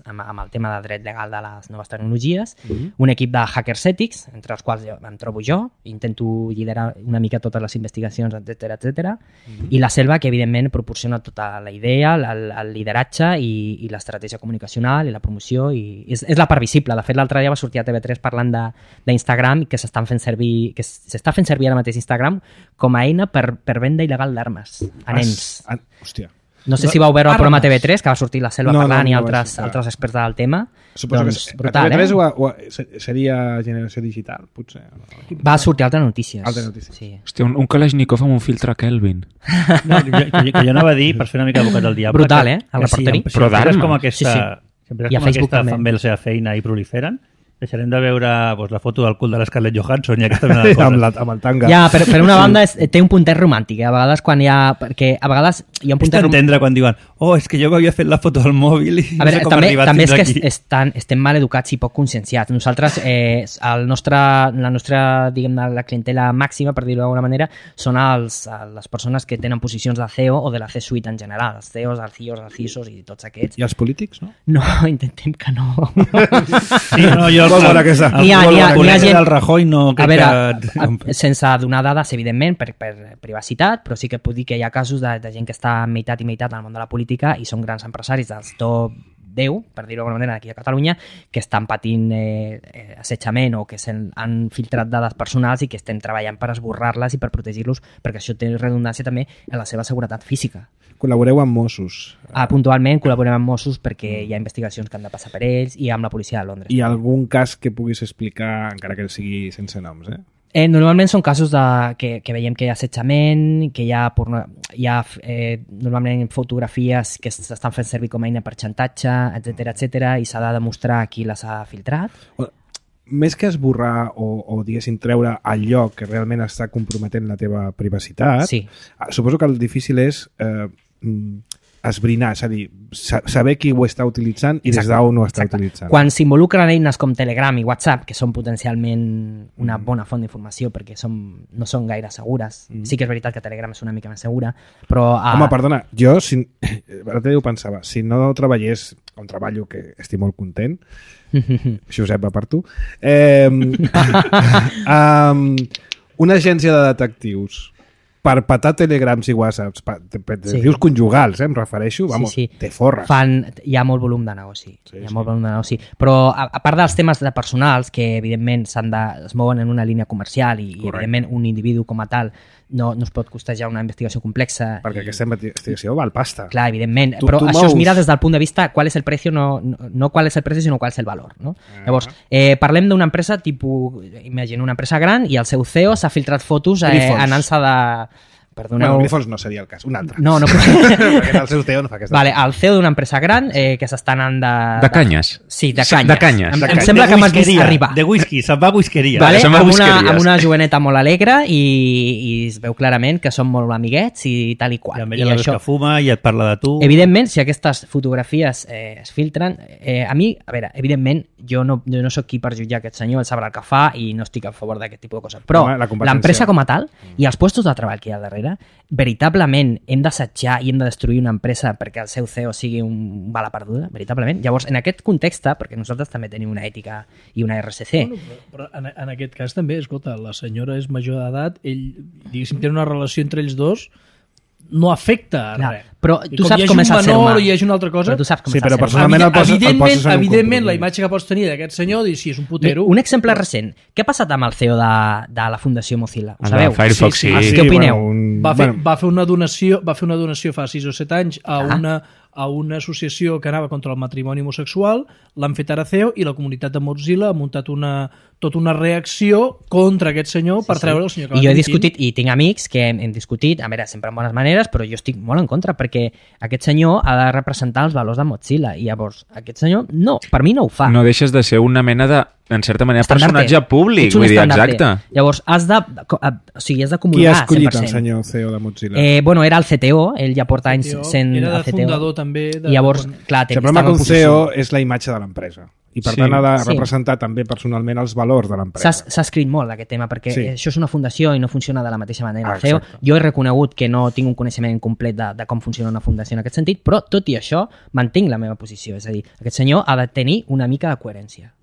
amb el tema de dret legal de les noves tecnologies, un equip de hackers ètics, entre els quals em trobo jo, intento liderar una mica totes les investigacions, etc. I la Selva, que evidentment proporciona tota la idea, el lideratge i l'estratègia comunicacional i la promoció, i és la part visible. De fet, l'altre dia va sortir a TV3 parlant d'Instagram, que s'està fent servir ara mateix Instagram com a eina per venda il·legal d'armes a nens. Hòstia. No sé si vau veure el programa TV3, que va sortir la Selva parlant i altres experts del tema. Suposo doncs, que brutal, a TV3 seria Generació Digital, potser. Va sortir Altres Notícies. Altres Notícies. Sí. Hòstia, un Kalashnikov amb un filtre Kelvin. No, que jo anava a dir, per fer una mica advocat del diable... Brutal, el repertori. Si empreses com aquesta, I a Facebook també. fan bé la seva feina i proliferen, deixarem de veure la foto del cul de l'Scarlett Johansson i aquesta mena de coses. Amb el tanga. Ja, per una banda té un puntet romàntic, a vegades quan hi ha... Perquè a vegades hi ha un És puntet romàntic... d'entendre quan diuen és que jo m'havia fet la foto del mòbil i A veure, no sé com ha arribat també és fins que aquí. estem mal educats i poc conscienciats. Nosaltres, la nostra diguem, la clientela màxima, per dir-ho d'alguna manera, són les persones que tenen posicions de CEO o de la C-suite en general, els CEOs, els CIOs, els CISOs i tots aquests. I els polítics, no? No, intentem que no. Sí, no, jo N'hi ha gent... del Rajoy no A veure, sense donar dades, evidentment, per privacitat, però sí que puc dir que hi ha casos de gent que està meitat i meitat en el món de la política i són grans empresaris dels top 10, per dir-ho d'alguna manera, aquí a Catalunya, que estan patint assetjament o que han filtrat dades personals i que estem treballant per esborrar-les i per protegir-los, perquè això té redundància també en la seva seguretat física. Col·laboreu amb Mossos. Puntualment col·laborem amb Mossos perquè hi ha investigacions que han de passar per ells i amb la policia de Londres. Hi ha algun cas que puguis explicar, encara que sigui sense noms, Normalment són casos que veiem que hi ha assetjament, que hi ha normalment fotografies que s'estan fent servir com a eina per xantatge, etc i s'ha de demostrar qui les ha filtrat. Més que esborrar o diguéssim, treure allò que realment està comprometent la teva privacitat, sí. Suposo que el difícil és esbrinar, és a dir, saber qui ho està utilitzant i des d'on ho està utilitzant. Quan s'involucren eines com Telegram i WhatsApp, que són potencialment una bona font d'informació perquè no són gaire segures, sí que és veritat que Telegram és una mica més segura, però... Home, perdona, jo, ara ho pensava, si no treballés on treballo, que estic molt content, Josep va per tu, una agència de detectius per petar telegrams i whatsapps, detectius conjugals, em refereixo, vamos, te forres. Hi ha molt volum de negoci, molt volum de negoci. Però a part dels temes de personals, que evidentment es mouen en una línia comercial i evidentment un individu com a tal no es pot costejar una investigació complexa. Perquè aquesta investigació val pasta. Clar, evidentment, però això es mira des del punt de vista qual és el precio, no qual és el precio, sinó qual és el valor. No? Llavors, parlem d'una empresa tipus, imagina una empresa gran i el seu CEO s'ha filtrat fotos anant-se de... Bueno, Grifons no seria el cas, un altre. No. Perquè el seu CEO no fa aquesta... Vale, el CEO d'una empresa gran que s'està anant de... De canyes. Sí, de canyes. De canyes. Em sembla que m'has vist arribar. De whisky, se'n va a whiskeria. Vale, amb una joveneta molt alegre i es veu clarament que són molt amiguets i tal i qual. I amb ella la veus que fuma i et parla de tu. Evidentment, si aquestes fotografies es filtren, a mi, a veure, evidentment, jo no soc qui per jutjar aquest senyor, ell sabrà el que fa i no estic a favor d'aquest tipus de coses. Però l'empresa com a tal i els puestos de treball que hi ha al darrere, veritablement hem d'assetjar i hem de destruir una empresa perquè el seu CEO sigui un bala perduda, veritablement. Llavors, en aquest context, perquè nosaltres també tenim una ètica i una RSC... Però en aquest cas també, escolta, la senyora és major d'edat, ell, diguéssim, té una relació entre ells dos, no afecta res. Però tu saps com és el ser humà. I hi hagi una altra cosa... Però tu saps com és el però ser humà. personalment el poses en un evidentment, la imatge que pots tenir d'aquest senyor, dir si és un putero... Un exemple recent. Què ha passat amb el CEO de la Fundació Mozilla? Ho sabeu? Firefox, sí. Què opineu? Va fer una donació fa 6 o 7 anys a una associació que anava contra el matrimoni homosexual, l'han fet ara CEO i la comunitat de Mozilla ha muntat tota una reacció contra aquest senyor per treure el senyor que va I jo he discutit, i tinc amics que hem discutit, a veure, sempre en bones maneres, però jo estic molt en contra, perquè aquest senyor ha de representar els valors de Mozilla, i llavors aquest senyor, no, per mi no ho fa. No deixes de ser una mena de, en certa manera, personatge públic, vull dir, exacte. Llavors, has de comulgar 100%. Qui ha escollit el senyor CEO de Mozilla? Bueno, era el CTO, ell ja porta anys sent el CTO. Era de fundador també. I llavors, clar, el problema que un CEO és la imatge de l'empresa. I per tant ha de representar també personalment els valors de l'empresa. S'ha escrit molt d'aquest tema perquè això és una fundació i no funciona de la mateixa manera. El CEO, jo he reconegut que no tinc un coneixement complet de com funciona una fundació en aquest sentit, però tot i això mantinc la meva posició. És a dir, aquest senyor ha de tenir una mica de coherència.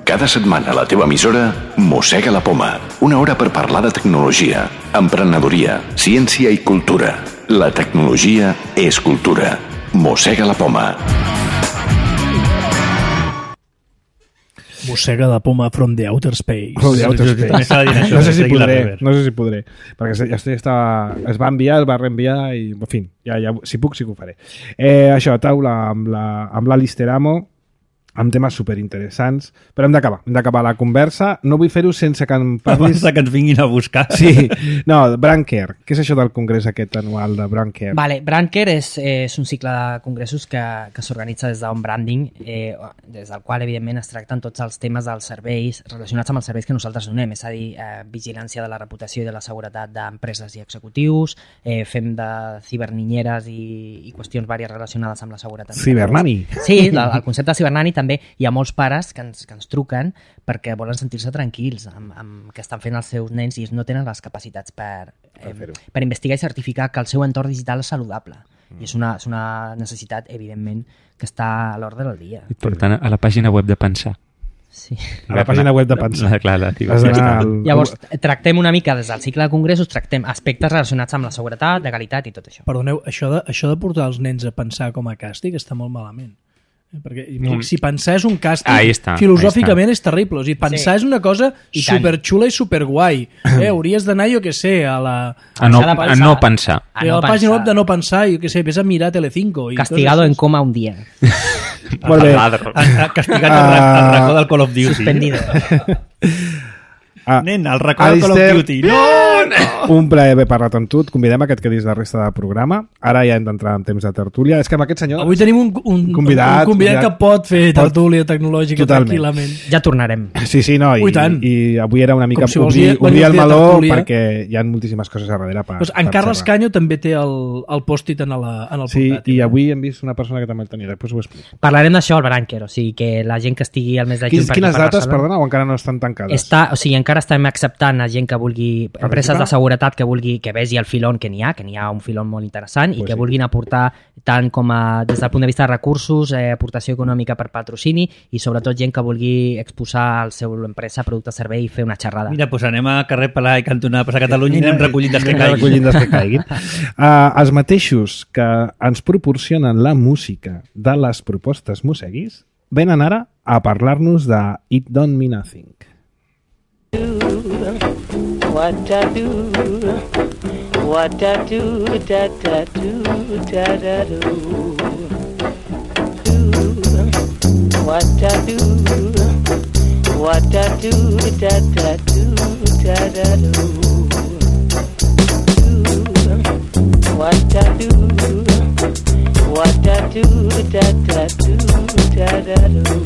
Cada setmana a la teva emissora Mossega la Poma. Una hora per parlar de tecnologia, emprenedoria, ciència i cultura. La tecnologia és cultura. Mossega la Poma. Mossega la Poma from the outer space. From the outer space. No sé si podré. Perquè es va enviar, es va reenviar i, en fi, si puc sí que ho faré. Això, taula amb l'Alistair Amo, amb temes superinteressants, però hem d'acabar la conversa. No vull fer-ho sense que em parlis... Abans que ens vinguin a buscar. Sí, no, Brandcare. Què és això del congrés aquest anual de Brandcare? Vale, Brandcare és un cicle de congressos que s'organitza des d'On Branding, des del qual, evidentment, es tracten tots els temes dels serveis relacionats amb els serveis que nosaltres donem, és a dir, vigilància de la reputació i de la seguretat d'empreses i executius, fem de ciberninyeres i qüestions vàries relacionades amb la seguretat. Cibernani. Sí, el concepte de cibernani també hi ha molts pares que ens truquen perquè volen sentir-se tranquils amb què estan fent els seus nens i no tenen les capacitats per investigar i certificar que el seu entorn digital és saludable. I és una necessitat, evidentment, que està a l'ordre del dia. I per tant, a la pàgina web de Pensar. Sí. A la pàgina web de Pensar. Clar, Llavors, tractem una mica des del cicle de congressos, tractem aspectes relacionats amb la seguretat, legalitat i tot això. Perdoneu, això de portar els nens a pensar com a càstig està molt malament. Perquè si pensar és un càstig, filosòficament és terrible. O sigui, pensar és una cosa superxula i superguai. Hauries d'anar, jo què sé, a no pensar. A la pàgina web de no pensar, jo què sé, ves a mirar Telecinco. Castigado en coma un dia. Molt bé. Castigat al racó del Call of Duty. Suspendido. Nen, al racó del Call of Duty. No! Un plaer haver parlat amb tu. Et convidem a que et quedis la resta del programa. Ara ja hem d'entrar en temps de tertúlia. És que amb aquest senyor... Avui tenim un convidat que pot fer tertúlia tecnològica tranquil·lament. Ja tornarem. Sí, no. I avui era una mica obrir el meló perquè hi ha moltíssimes coses a darrere per en Carles Canyo també té el post-it en el portàtil. Sí, i avui hem vist una persona que també el tenia. Després ho explico. Parlarem d'això al Branquer, o sigui que la gent que estigui al mes de juny... Quines dates, perdona, o encara no estan tancades? O sigui, encara estem acceptant a gent que vulgui, empreses de seguretat que vulgui que vegi el filon que n'hi ha un filon molt interessant i que vulguin aportar tant com des del punt de vista de recursos, aportació econòmica per patrocini i sobretot gent que vulgui exposar el seu empresa, producte, servei i fer una xerrada. Mira, doncs anem a carrer Palà i cantonada per Catalunya i anem recollint dels que caiguin. Els mateixos que ens proporcionen la música de les propostes Moseguis venen ara a parlar-nos de It Don't Mean Nothing. What I do, what I do, da da do, da da do. What I do, what I do, da da do, da da do. What I do, what I do, da da do, da da do.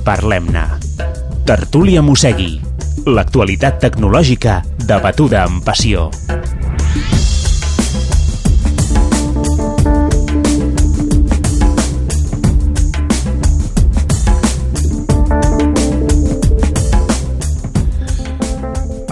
Parlem-ne. Tertúlia Mosegui. L'actualitat tecnològica debatuda amb passió.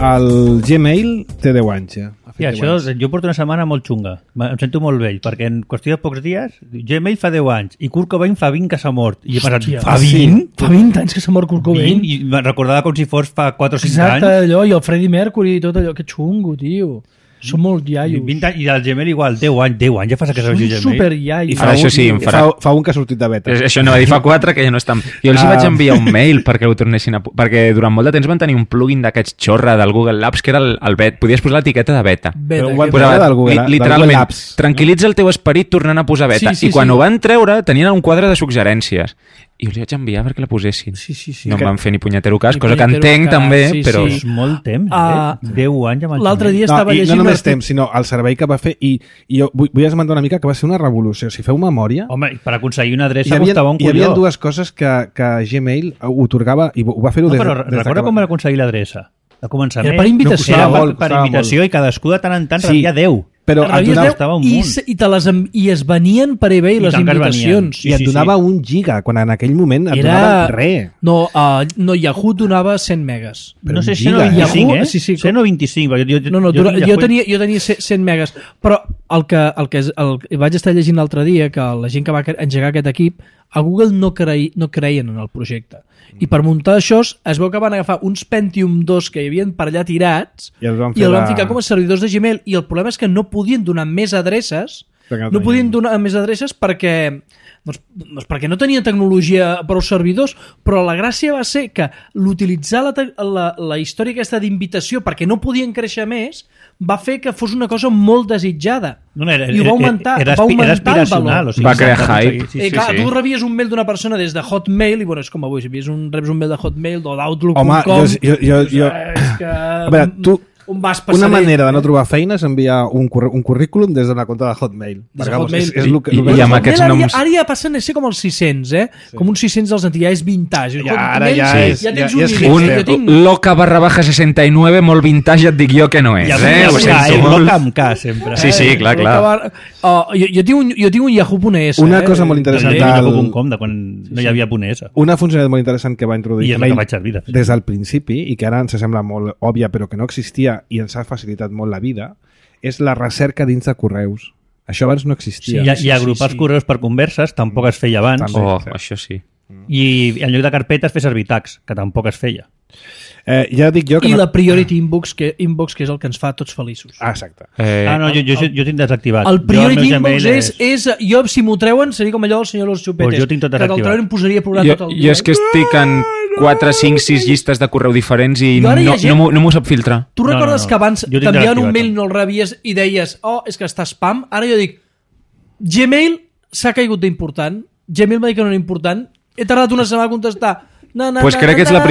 El Gmail té 10 anys ja. I això, jo porto una setmana molt xunga. Em sento molt vell, perquè en qüestió de pocs dies, Gmail fa 10 anys i Kurt Cobain fa 20 que s'ha mort. I he pensat, fa 20? Fa 20 anys que s'ha mort Kurt Cobain? 20? I me'n recordava com si fos fa 4 o 5 anys. Exacte, allò, i el Freddie Mercury i tot allò. Que xungo, tio. Són molt iaios. 20 anys, i el Gmail igual, 10 anys ja fa que s'ha vist Gmail. Són superiaios. Això sí, fa un que ha sortit de beta. Això no va dir, fa 4 que ja no estan... Jo els vaig enviar un mail perquè ho tornessin a... Perquè durant molt de temps van tenir un plugin d'aquests xorra del Google Labs que era el beta. Podies posar l'etiqueta de beta. Del Google Literalment, tranquil·litza el teu esperit tornant a posar beta. I quan ho van treure tenien un quadre de suggerències. I els vaig enviar perquè la posessin. No em van fer ni punyetero cas, cosa que entenc també, però... És molt temps, 10 anys amb el l'altre dia estava llegint... No només temps, sinó el servei que va fer, i jo vull esmentar una mica que va ser una revolució. Si feu memòria... Home, per aconseguir una adreça costava un colló. Hi havia dues coses que Gmail otorgava, i ho va fer-ho però recorda com va aconseguir l'adreça? A començament. Era per invitació. Era per invitació i cadascú de tant en tant rebia 10. Però i es venien per eBay les invitacions. I et donava 1 giga, quan en aquell moment et donava res. No, Yahoo donava 100 megas. No sé si 125, eh? 125. Jo tenia 100 megas. Però vaig estar llegint l'altre dia que la gent que va engegar aquest equip a Google no creien en el projecte i per muntar això es veu que van agafar uns Pentium 2 que hi havien per allà tirats i els van ficar com a servidors de Gmail i el problema és que no podien donar més adreces perquè perquè no tenia tecnologia per als servidors, però la gràcia va ser que l'utilitzar la història aquesta d'invitació perquè no podien créixer més va fer que fos una cosa molt desitjada i ho va augmentar el valor. Va crear hype. Tu rebies un mail d'una persona des de Hotmail i és com avui, si reps un mail de Hotmail o d'Outlook.com a veure, tu una manera de no trobar feina és enviar un currículum des d'una compte de Hotmail. I amb aquests noms... Ara ja passen a ser com els 600, com uns 600 dels antics, ja és vintage. Ara ja és un loca_69 molt vintage, et dic jo que no és. Loca amb K, sempre. Sí, clar. Jo tinc un Yahoo.es. Una cosa molt interessant... Yahoo.com, de quan no hi havia .es. Una funcionalitat molt interessant que va introduir Gmail des del principi i que ara ens sembla molt òbvia però que no existia i ens ha facilitat molt la vida, és la recerca dins de correus. Això abans no existia. I agrupar els correus per converses tampoc es feia abans. Això sí. I en lloc de carpetes fer servir tags, que tampoc es feia. Ja dic jo que I la Priority Inbox, que és el que ens fa tots feliços. Exacte. Jo tinc desactivat. El Priority Inbox és... Jo, si m'ho treuen, seria com allò del senyor Los Chupetes. Jo tinc tot desactivat. Que te'l treuen em posaria a plorar tot el dia. Jo és que estic en 4, 5, 6 llistes de correu diferents i no m'ho sap filtrar. Tu recordes que abans t'enviaven un mail i no el rebies i deies és que està spam? Ara jo dic Gmail s'ha caigut d'important. Gmail m'ha dit que no era important. He tardat una setmana a contestar. Pues crec que ets la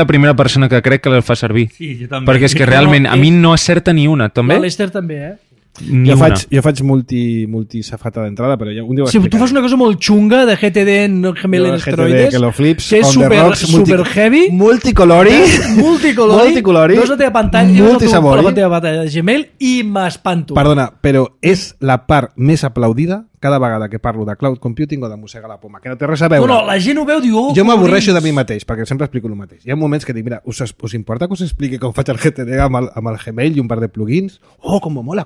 primera persona que crec que la fa servir. Sí, jo també. Perquè és que realment a mi no acerta ni una, també. L'Ester també, Jo faig multi-safata d'entrada, però ja un dia ho explicaré. Tu fas una cosa molt xunga de GTD en Gmail en esteroides, que és super heavy, multicolori, veus la teva pantalla, la teva pantalla de Gmail i m'espanto. Perdona, però és la part més aplaudida cada vegada que parlo de cloud computing o de mossega la poma, que no té res a veure. No, la gent ho veu, diu... Jo m'avorreixo de mi mateix, perquè sempre explico el mateix. Hi ha moments que dic, mira, us importa que us expliqui com faig el GTD amb el Gmail i un par de plugins? Com mola.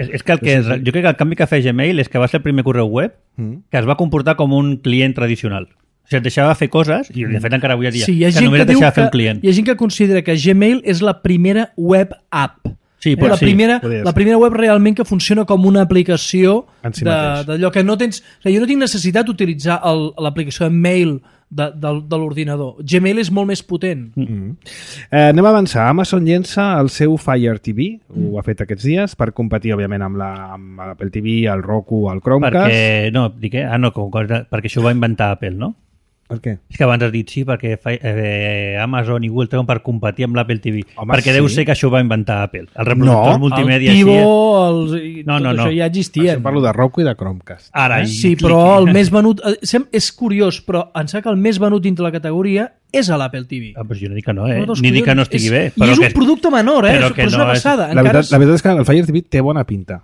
És que jo crec que el canvi que fa Gmail és que va ser el primer correu web que es va comportar com un client tradicional. O sigui, et deixava fer coses, i de fet encara avui dia, que només et deixava fer un client. Hi ha gent que considera que Gmail és la primera web app. Sí, la primera web realment que funciona com una aplicació d'allò que no tens... O sigui, jo no tinc necessitat d'utilitzar l'aplicació de mail de l'ordinador. Gmail és molt més potent. Anem a avançar. Amazon llença el seu Fire TV, ho ha fet aquests dies, per competir, òbviament, amb l'Apple TV, el Roku, el Chromecast. Perquè això ho va inventar Apple, no? Per què? És que abans has dit sí, perquè Amazon i Google treuen per competir amb l'Apple TV. Perquè deu ser que això ho va inventar Apple. El reproductor multimèdia... El Tivo, tot això ja existia. Això parlo de Roku i de Chromecast. Sí, però el més venut... És curiós, però em sembla que el més venut dintre la categoria és a l'Apple TV. Però jo no dic que no, ni dic que no estigui bé. I és un producte menor, però és una passada. La veritat és que el Fire TV té bona pinta.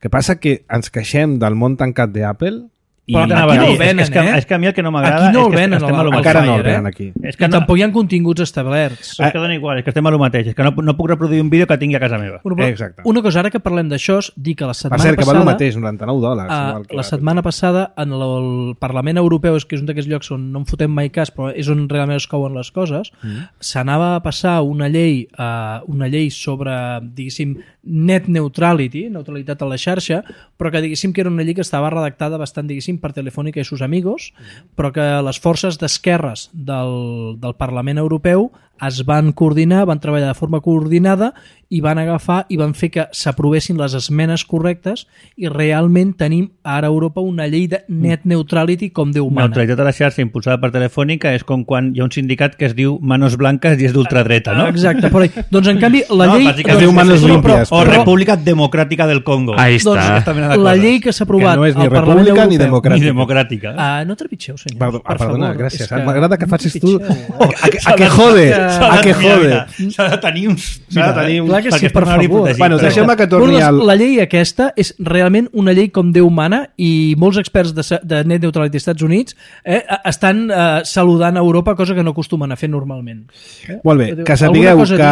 Que passa que ens queixem del món tancat d'Apple. Però aquí no el venen, és que a mi el que no m'agrada aquí no el venen, encara no el venen aquí. És que tampoc hi ha continguts establerts. És que dona igual, és que estem a lo mateix, és que no puc reproduir un vídeo que tingui a casa meva. Exacte. Una cosa, ara que parlem d'això, dir que la setmana passada... Per cert, que val el mateix, $99. La setmana passada, en el Parlament Europeu, que és un d'aquests llocs on no en fotem mai cas, però és on realment es couen les coses, s'anava a passar una llei sobre, diguéssim, net neutrality, neutralitat a la xarxa, però que diguéssim que era una llei que estava redactada bastant, diguéssim, per Telefònica i sus amigos, però que les forces d'esquerres del Parlament Europeu es van coordinar, van treballar de forma coordinada i van agafar i van fer que s'aprovessin les esmenes correctes i realment tenim ara a Europa una llei de net neutrality com Déu mana. Neutralitat a la xarxa impulsada per Telefònica és com quan hi ha un sindicat que es diu Manos Blancas i és d'ultradreta, no? Exacte, però doncs en canvi la llei... Es diu Manos Limpias. O República Democràtica del Congo. Ahí està. La llei que s'ha aprovat al Parlament Europeu... Ni democràtica. No trepitgeu, senyor. Perdona, gràcies. M'agrada que facis tu... A que jode. S'ha de tenir uns... Clar que sí, per favor. Bueno, deixem-me que torni al... La llei aquesta és realment una llei com Déu mana i molts experts de net neutralitat als Estats Units estan saludant a Europa, cosa que no acostumen a fer normalment. Molt bé, que sapigueu que...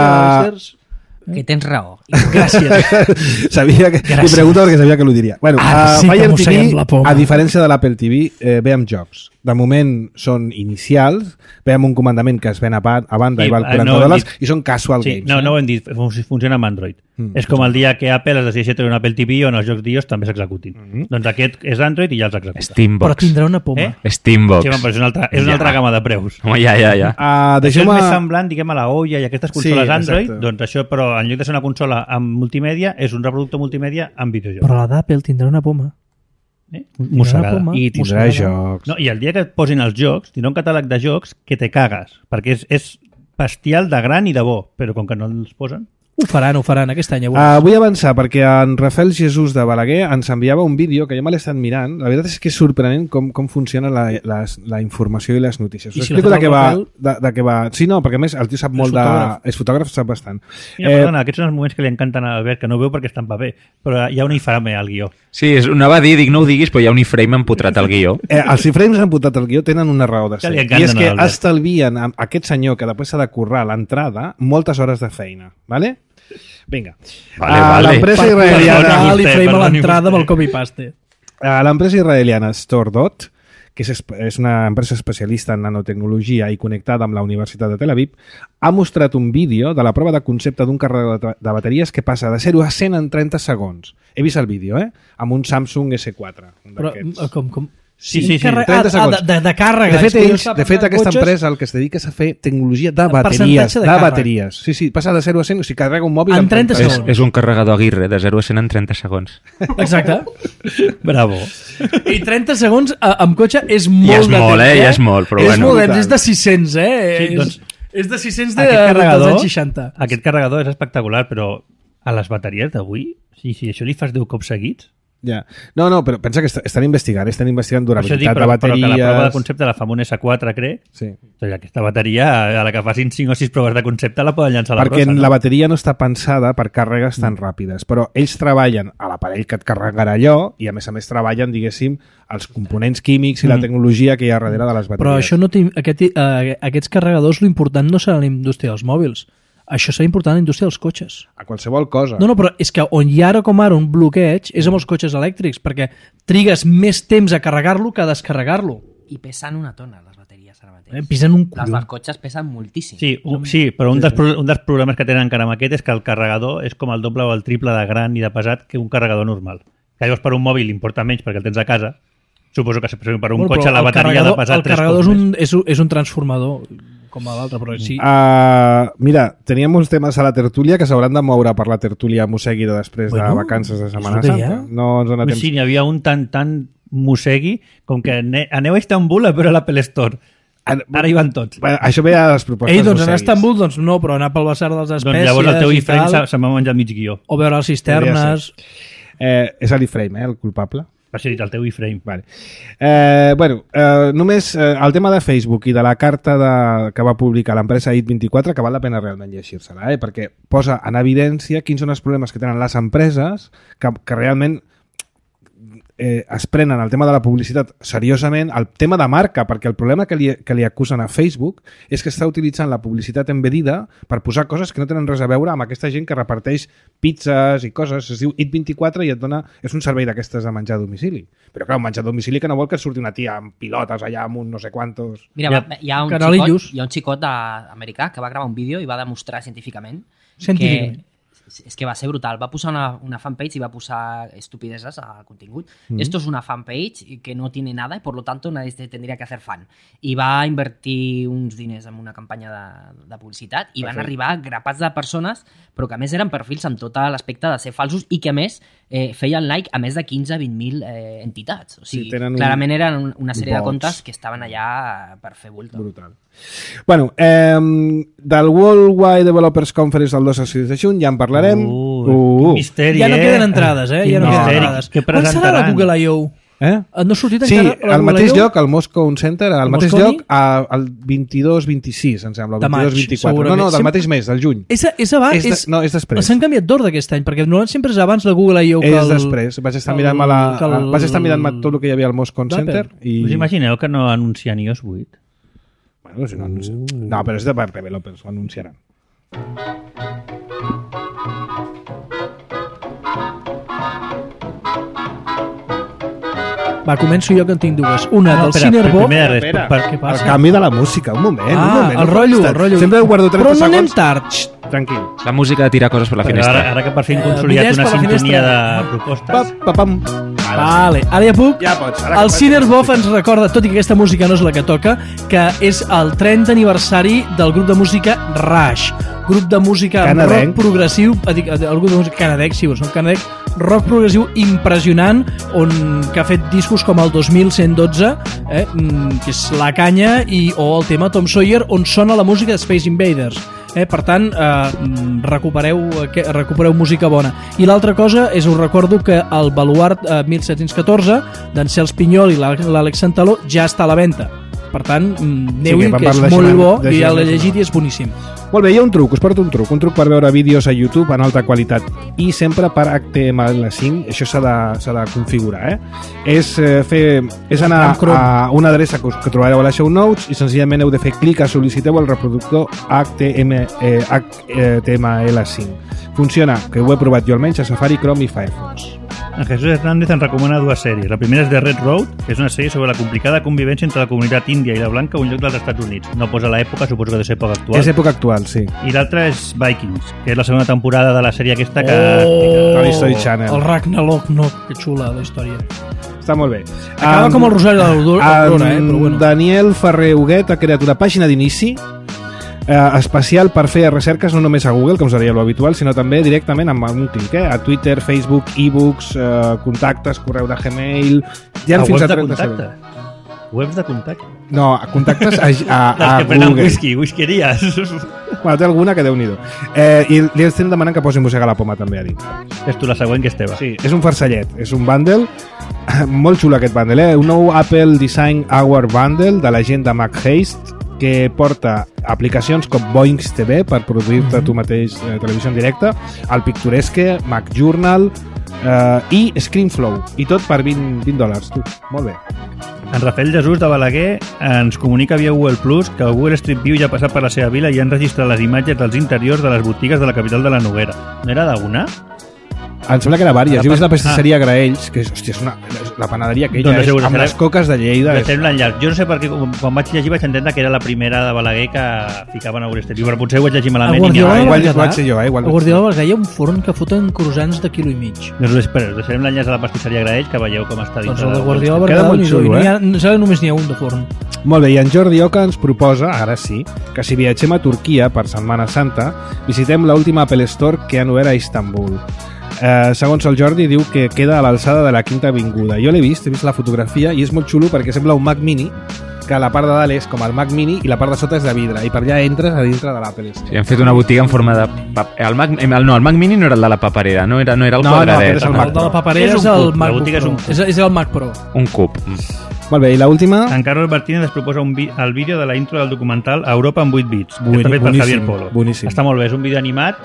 Que tens raó. Gràcies. Sabia que... Li pregunto perquè sabia que l'ho diria. Bueno, sí Fire TV, a diferència de l'Apple TV, ve amb jocs. De moment són inicials, ve amb un comandament que es ven a banda i val $40 i són casual games. No ho hem dit, funciona amb Android. És com el dia que Apple es decideix treure un Apple TV on els jocs d'iOS també s'executin. Doncs aquest és Android i ja els executa. Steambox. Però tindrà una poma. Steambox. Sí, però és una altra gamma de preus. Home, ja. Això és més semblant, diguem, a la Olla i aquestes consoles Android, doncs això, però en lloc de ser una consola amb multimèdia, és un reproductor multimèdia amb videojocs. Però la d'Apple tindrà una poma. Mossegada. I tindrà jocs. No, I el dia que et posin els jocs, tindrà un catàleg de jocs que te cagues, perquè és bestial de gran i de bo, però com que no els posen... Ho faran aquest any. Vull avançar perquè en Rafael Jesús de Balaguer ens enviava un vídeo que jo me l'he estat mirant. La veritat és que és sorprenent com funciona la informació i les notícies. Us explico de què va. Sí, no, perquè a més el tio sap molt de... És fotògraf, sap bastant. Mira, perdona, aquests són els moments que li encanten a Albert, que no veu perquè està en paper, però hi ha un iframe al guió. Sí, anava a dir, no ho diguis, però hi ha un iframe empotrat al guió. Els iframes empotrat al guió tenen una raó de ser. I és que estalvien a aquest senyor que després s'ha de currar l'entrada moltes hores de feina. Vale? Vinga. L'empresa israeliana... l'iframe a l'entrada amb el copy-paste. L'empresa israeliana StoreDot, que és una empresa especialista en nanotecnologia i connectada amb la Universitat de Tel Aviv, ha mostrat un vídeo de la prova de concepte d'un carregador de bateries que passa de 0 a 100 en 30 segons. He vist el vídeo, amb un Samsung S4. Però com? Sí, 30 segons. De càrrega. De fet, aquesta empresa el que es dedica és a fer tecnologia de bateries. Sí, passa de 0 a 100, o sigui, carrega un mòbil en 30 segons. És un carregador Aguirre, de 0 a 100 en 30 segons. Exacte. Bravo. I 30 segons amb cotxe és molt de temps. Ja és molt, però bueno. És molt, és de 600, Sí, doncs, és de 600 dels anys 60. Aquest carregador és espectacular, però a les bateries d'avui, si això li fas 10 cops seguits... Ja. No, però pensa que estan investigant durabilitat de bateries... Però que la prova de concepte la fa amb un S4, crec. Sí. O sigui, aquesta bateria, a la que facin 5 o 6 proves de concepte, la poden llançar a la brossa. Perquè la bateria no està pensada per càrregues tan ràpides, però ells treballen a l'aparell que et carregarà allò i a més treballen, diguéssim, els components químics i la tecnologia que hi ha darrere de les bateries. Però això no aquests carregadors, l'important no serà la indústria dels mòbils. Això serà important a la indústria dels cotxes. A qualsevol cosa. No, però és que on hi ha ara com ara un bloqueig és amb els cotxes elèctrics, perquè trigues més temps a carregar-lo que a descarregar-lo. I pesen una tona, les bateries ara mateix. Pesen un colló. Les dels cotxes pesen moltíssim. Sí, però un dels problemes que tenen encara amb aquest és que el carregador és com el doble o el triple de gran i de pesat que un carregador normal. Que llavors per un mòbil importa menys perquè el tens a casa. Suposo que per un cotxe la bateria ha de pesar 3 cops. El carregador és un transformador com a l'altre, però sí. Mira, teníem uns temes a la tertúlia que s'hauran de moure per la tertúlia mossegui després de vacances de Setmana Santa. No ens dona temps. Sí, n'hi havia un tan mossegui com que aneu a Istanbul a veure l'Apple Store. Ara hi van tots. Això ve a les propostes mosseguis. Doncs anar a Istanbul, doncs no, però anar pel Bassar dels Espècies... Doncs llavors el teu iframe se m'ha menjat mig guió. O veure les cisternes... És l'iframe, el culpable? Va ser dit el teu iframe. Vale. Només el tema de Facebook i de la carta que va publicar l'empresa IT24, que val la pena realment llegir-se-la, perquè posa en evidència quins són els problemes que tenen les empreses que realment es prenen el tema de la publicitat seriosament, el tema de marca, perquè el problema que li acusen a Facebook és que està utilitzant la publicitat embedida per posar coses que no tenen res a veure amb aquesta gent que reparteix pizzas i coses. Es diu IT24 i et dona... És un servei d'aquestes de menjar a domicili. Però clar, un menjar a domicili que no vol que surti una tia amb pilotes allà amb un no sé quantos... Mira, hi ha un xicot americà que va gravar un vídeo i va demostrar científicament que... És que va ser brutal. Va posar una fanpage y va posar estupideces al contingut. Esto es una fanpage que no tiene nada y por lo tanto nadie tendría que hacer fan. I va invertir uns diners en una campanya de publicitat i van arribar grapats de persones, però que a més eren perfils amb tot l'aspecte de ser falsos i que a més feien like a més de 15-20.000 entitats. O sigui, clarament eren una sèrie de comptes que estaven allà per fer bulto. Brutal. Bueno, del World Wide Developers Conference del 2 al 6 de juny ja en parlarem. Misteri, ja no queden entrades, ja no queden entrades. Quan serà la Google I.O.? No ha sortit encara la al mateix lloc, al Moscow Center, al mateix lloc, al 22-26, em sembla, el 22-24. No, del mateix mes, del juny. És abans? No, és després. S'han canviat d'ordre aquest any, perquè normalment sempre és abans la Google I.O. És després. Vaig estar mirant tot el que hi havia al Moscow Center. Us imagineu que no anuncien iOS 8? Bueno, si no, però és de developers, ho anunciaran. Va, començo jo que en tinc dues. Una del Cinerbó... Què passa? El canvi de la música, un moment. El rotllo. Sempre guardo 30 segons. Però no anem tard. Tranquil. La música de tirar coses per la finestra. Ara que per fi hem consolidat una sintonia de propostes. Vale, ara ja puc. Ja pots. El Cinerbó ens recorda, tot i que aquesta música no és la que toca, que és el 30 aniversari del grup de música Rush. Grup de música rock progressiu, el grup de música canadenc, sí, són canadenc, rock progressiu impressionant, que ha fet discos com el 2112, que és La Canya, o el tema Tom Sawyer, on sona la música de Space Invaders. Per tant, recupereu música bona. I l'altra cosa és, us recordo que el Baluart 1714 d'en Cels Pinyol i l'Àlex Santaló ja està a la venda. Per tant, aneu-hi, que és molt bo, i ja l'he llegit i és boníssim. Molt bé, hi ha un truc, us porto un truc per veure vídeos a YouTube en alta qualitat i sempre per HTML5, això s'ha de configurar, és anar a una adreça que trobareu a les show notes i senzillament heu de fer clic a sol·liciteu el reproductor HTML5. Funciona, que ho he provat jo almenys a Safari, Chrome i Firefox. En Jesús Hernández ens recomana dues sèries. La primera és The Red Road, que és una sèrie sobre la complicada convivència entre la comunitat índia i la blanca a un lloc dels Estats Units. No posa l'època, suposo que ha de ser època actual. És època actual, sí. I l'altra és Vikings, que és la segona temporada de la sèrie aquesta que... History Channel. El Ragnarok, no, que xula la història. Està molt bé. Acaba com el Rosari de l'Aurora, però bueno. Daniel Ferrer Huguet ha creat una pàgina d'inici especial per fer recerques no només a Google, com seria l'habitual, sinó també directament amb un clic, a Twitter, Facebook, e-books, contactes, correu de Gmail... Ja fins a 30 segons. Webs de contacte? No, contactes a que prenen whiskeries. Bueno, té alguna que Déu-n'hi-do. I li estem demanant que posi Mossega la Poma també a dins. És tu la següent, que és teva. Sí, és un farcellet, és un bundle, molt xulo aquest bundle, un nou Apple Design Hour Bundle de la gent de MacHaste, que porta aplicacions com Boings TV per produir-te tu mateix televisió en directe, el Picturesque, Mac Journal i ScreenFlow, i tot per $20, tu. Molt bé. En Rafael Jesús de Balaguer ens comunica via Google Plus que el Google Street View ja ha passat per la seva vila i han registrat les imatges dels interiors de les botigues de la capital de la Noguera. No era d'una? Em sembla que era vàries. Jo he vist la pastisseria Graells, que és la panaderia aquella, amb les coques de Lleida. Jo no sé per què, quan vaig llegir vaig entendre que era la primera de Balaguer que ficaven a Google Street View, però potser ho vaig llegir malament. A Guardiola hi ha un forn que foten croissants de quilo i mig. Us deixarem l'enllaç a la pastisseria Graells, que veieu com està dins. Doncs el de Guardiola queda molt xulo, només n'hi ha un de forn. Molt bé, i en Jordi Oca ens proposa, ara sí, que si viatgem a Turquia per Setmana Santa, visitem l'última Apple Store que han obert a Istanbul. Segons el Jordi, diu que queda a l'alçada de la Quinta Avinguda. Jo l'he vist la fotografia i és molt xulo perquè sembla un Mac Mini, que la part de dalt és com el Mac Mini i la part de sota és de vidre, i per allà entres a dintre de l'Apple Store. Sí, han fet una botiga en forma de... El Mac Mini no era el de la paperera, no era el quadradet. No, el de la paperera és el MacBook Pro. És el Mac Pro. Un cub. Molt bé, i l'última? En Carlos Martínez es proposa el vídeo de la intro del documental Europa en 8 bits, que està fet per Javier Polo. Boníssim. Està molt bé, és un vídeo animat,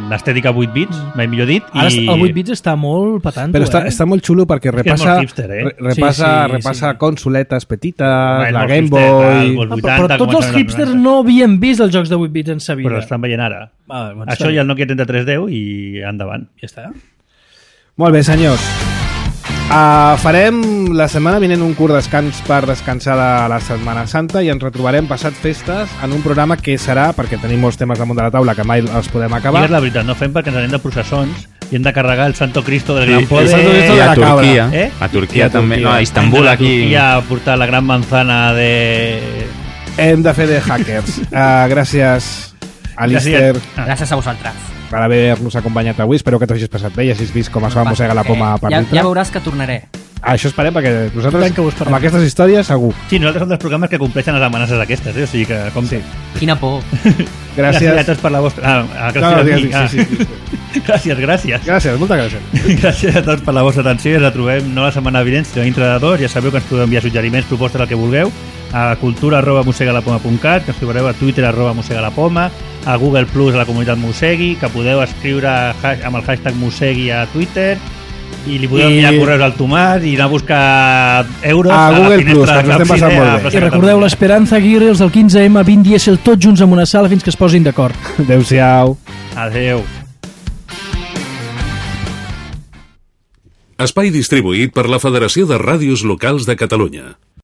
l'estètica 8 bits, mai millor dit. Ara el 8 bits està molt patant. Però està molt xulo perquè repassa consoletes petites, la Game Boy... Però tots els hipsters no havien vist els jocs de 8 bits en sa vida. Però estan veient ara. Això i el Nokia 3310 i endavant. Ja està. Molt bé, senyors. Farem la setmana vinent un curt descans per descansar de la Setmana Santa i ens retrobarem passat festes en un programa que serà, perquè tenim molts temes damunt de la taula que mai els podem acabar. Digues la veritat, no fem perquè ens anem de processons i hem de carregar el Santo Cristo del Gran Poder. I a Turquia. A Turquia també. No, a Istanbul, aquí. A portar la gran manzana de... Hem de fer de hackers. Gràcies, Alistair. Gràcies a vosaltres per haver-nos acompanyat avui. Espero que t'hagis passat bé i hagis vist com es va mossegar la poma per dintre. Ja veuràs que tornaré. Això esperem, perquè nosaltres amb aquestes històries segur. Sí, nosaltres som dels programes que compleixen les amenaces aquestes, o sigui que com sí. Quina por. Gràcies a tots per la vostra... Gràcies, moltes gràcies. Gràcies a tots per la vostra atenció i ens trobem no la setmana vinent, sinó dintre de 2. Ja sabeu que ens podeu enviar suggeriments, propostes, el que vulgueu, a cultura@mossegalapoma.cat, que ens trobareu a Twitter @mossegalapoma, a Google Plus, a la comunitat Mossegui, que podeu escriure amb el hashtag Mossegui a Twitter i li podeu enviar correus al Tomàs i anar a buscar euros a Google Plus, que ens estem passant molt bé. I recordeu l'Esperanza Aguirre, els del 15M, 20 dièsel, tots junts en una sala fins que es posin d'acord. Adéu-siau. Adéu. Espai distribuït per la Federació de Ràdios Locals de Catalunya.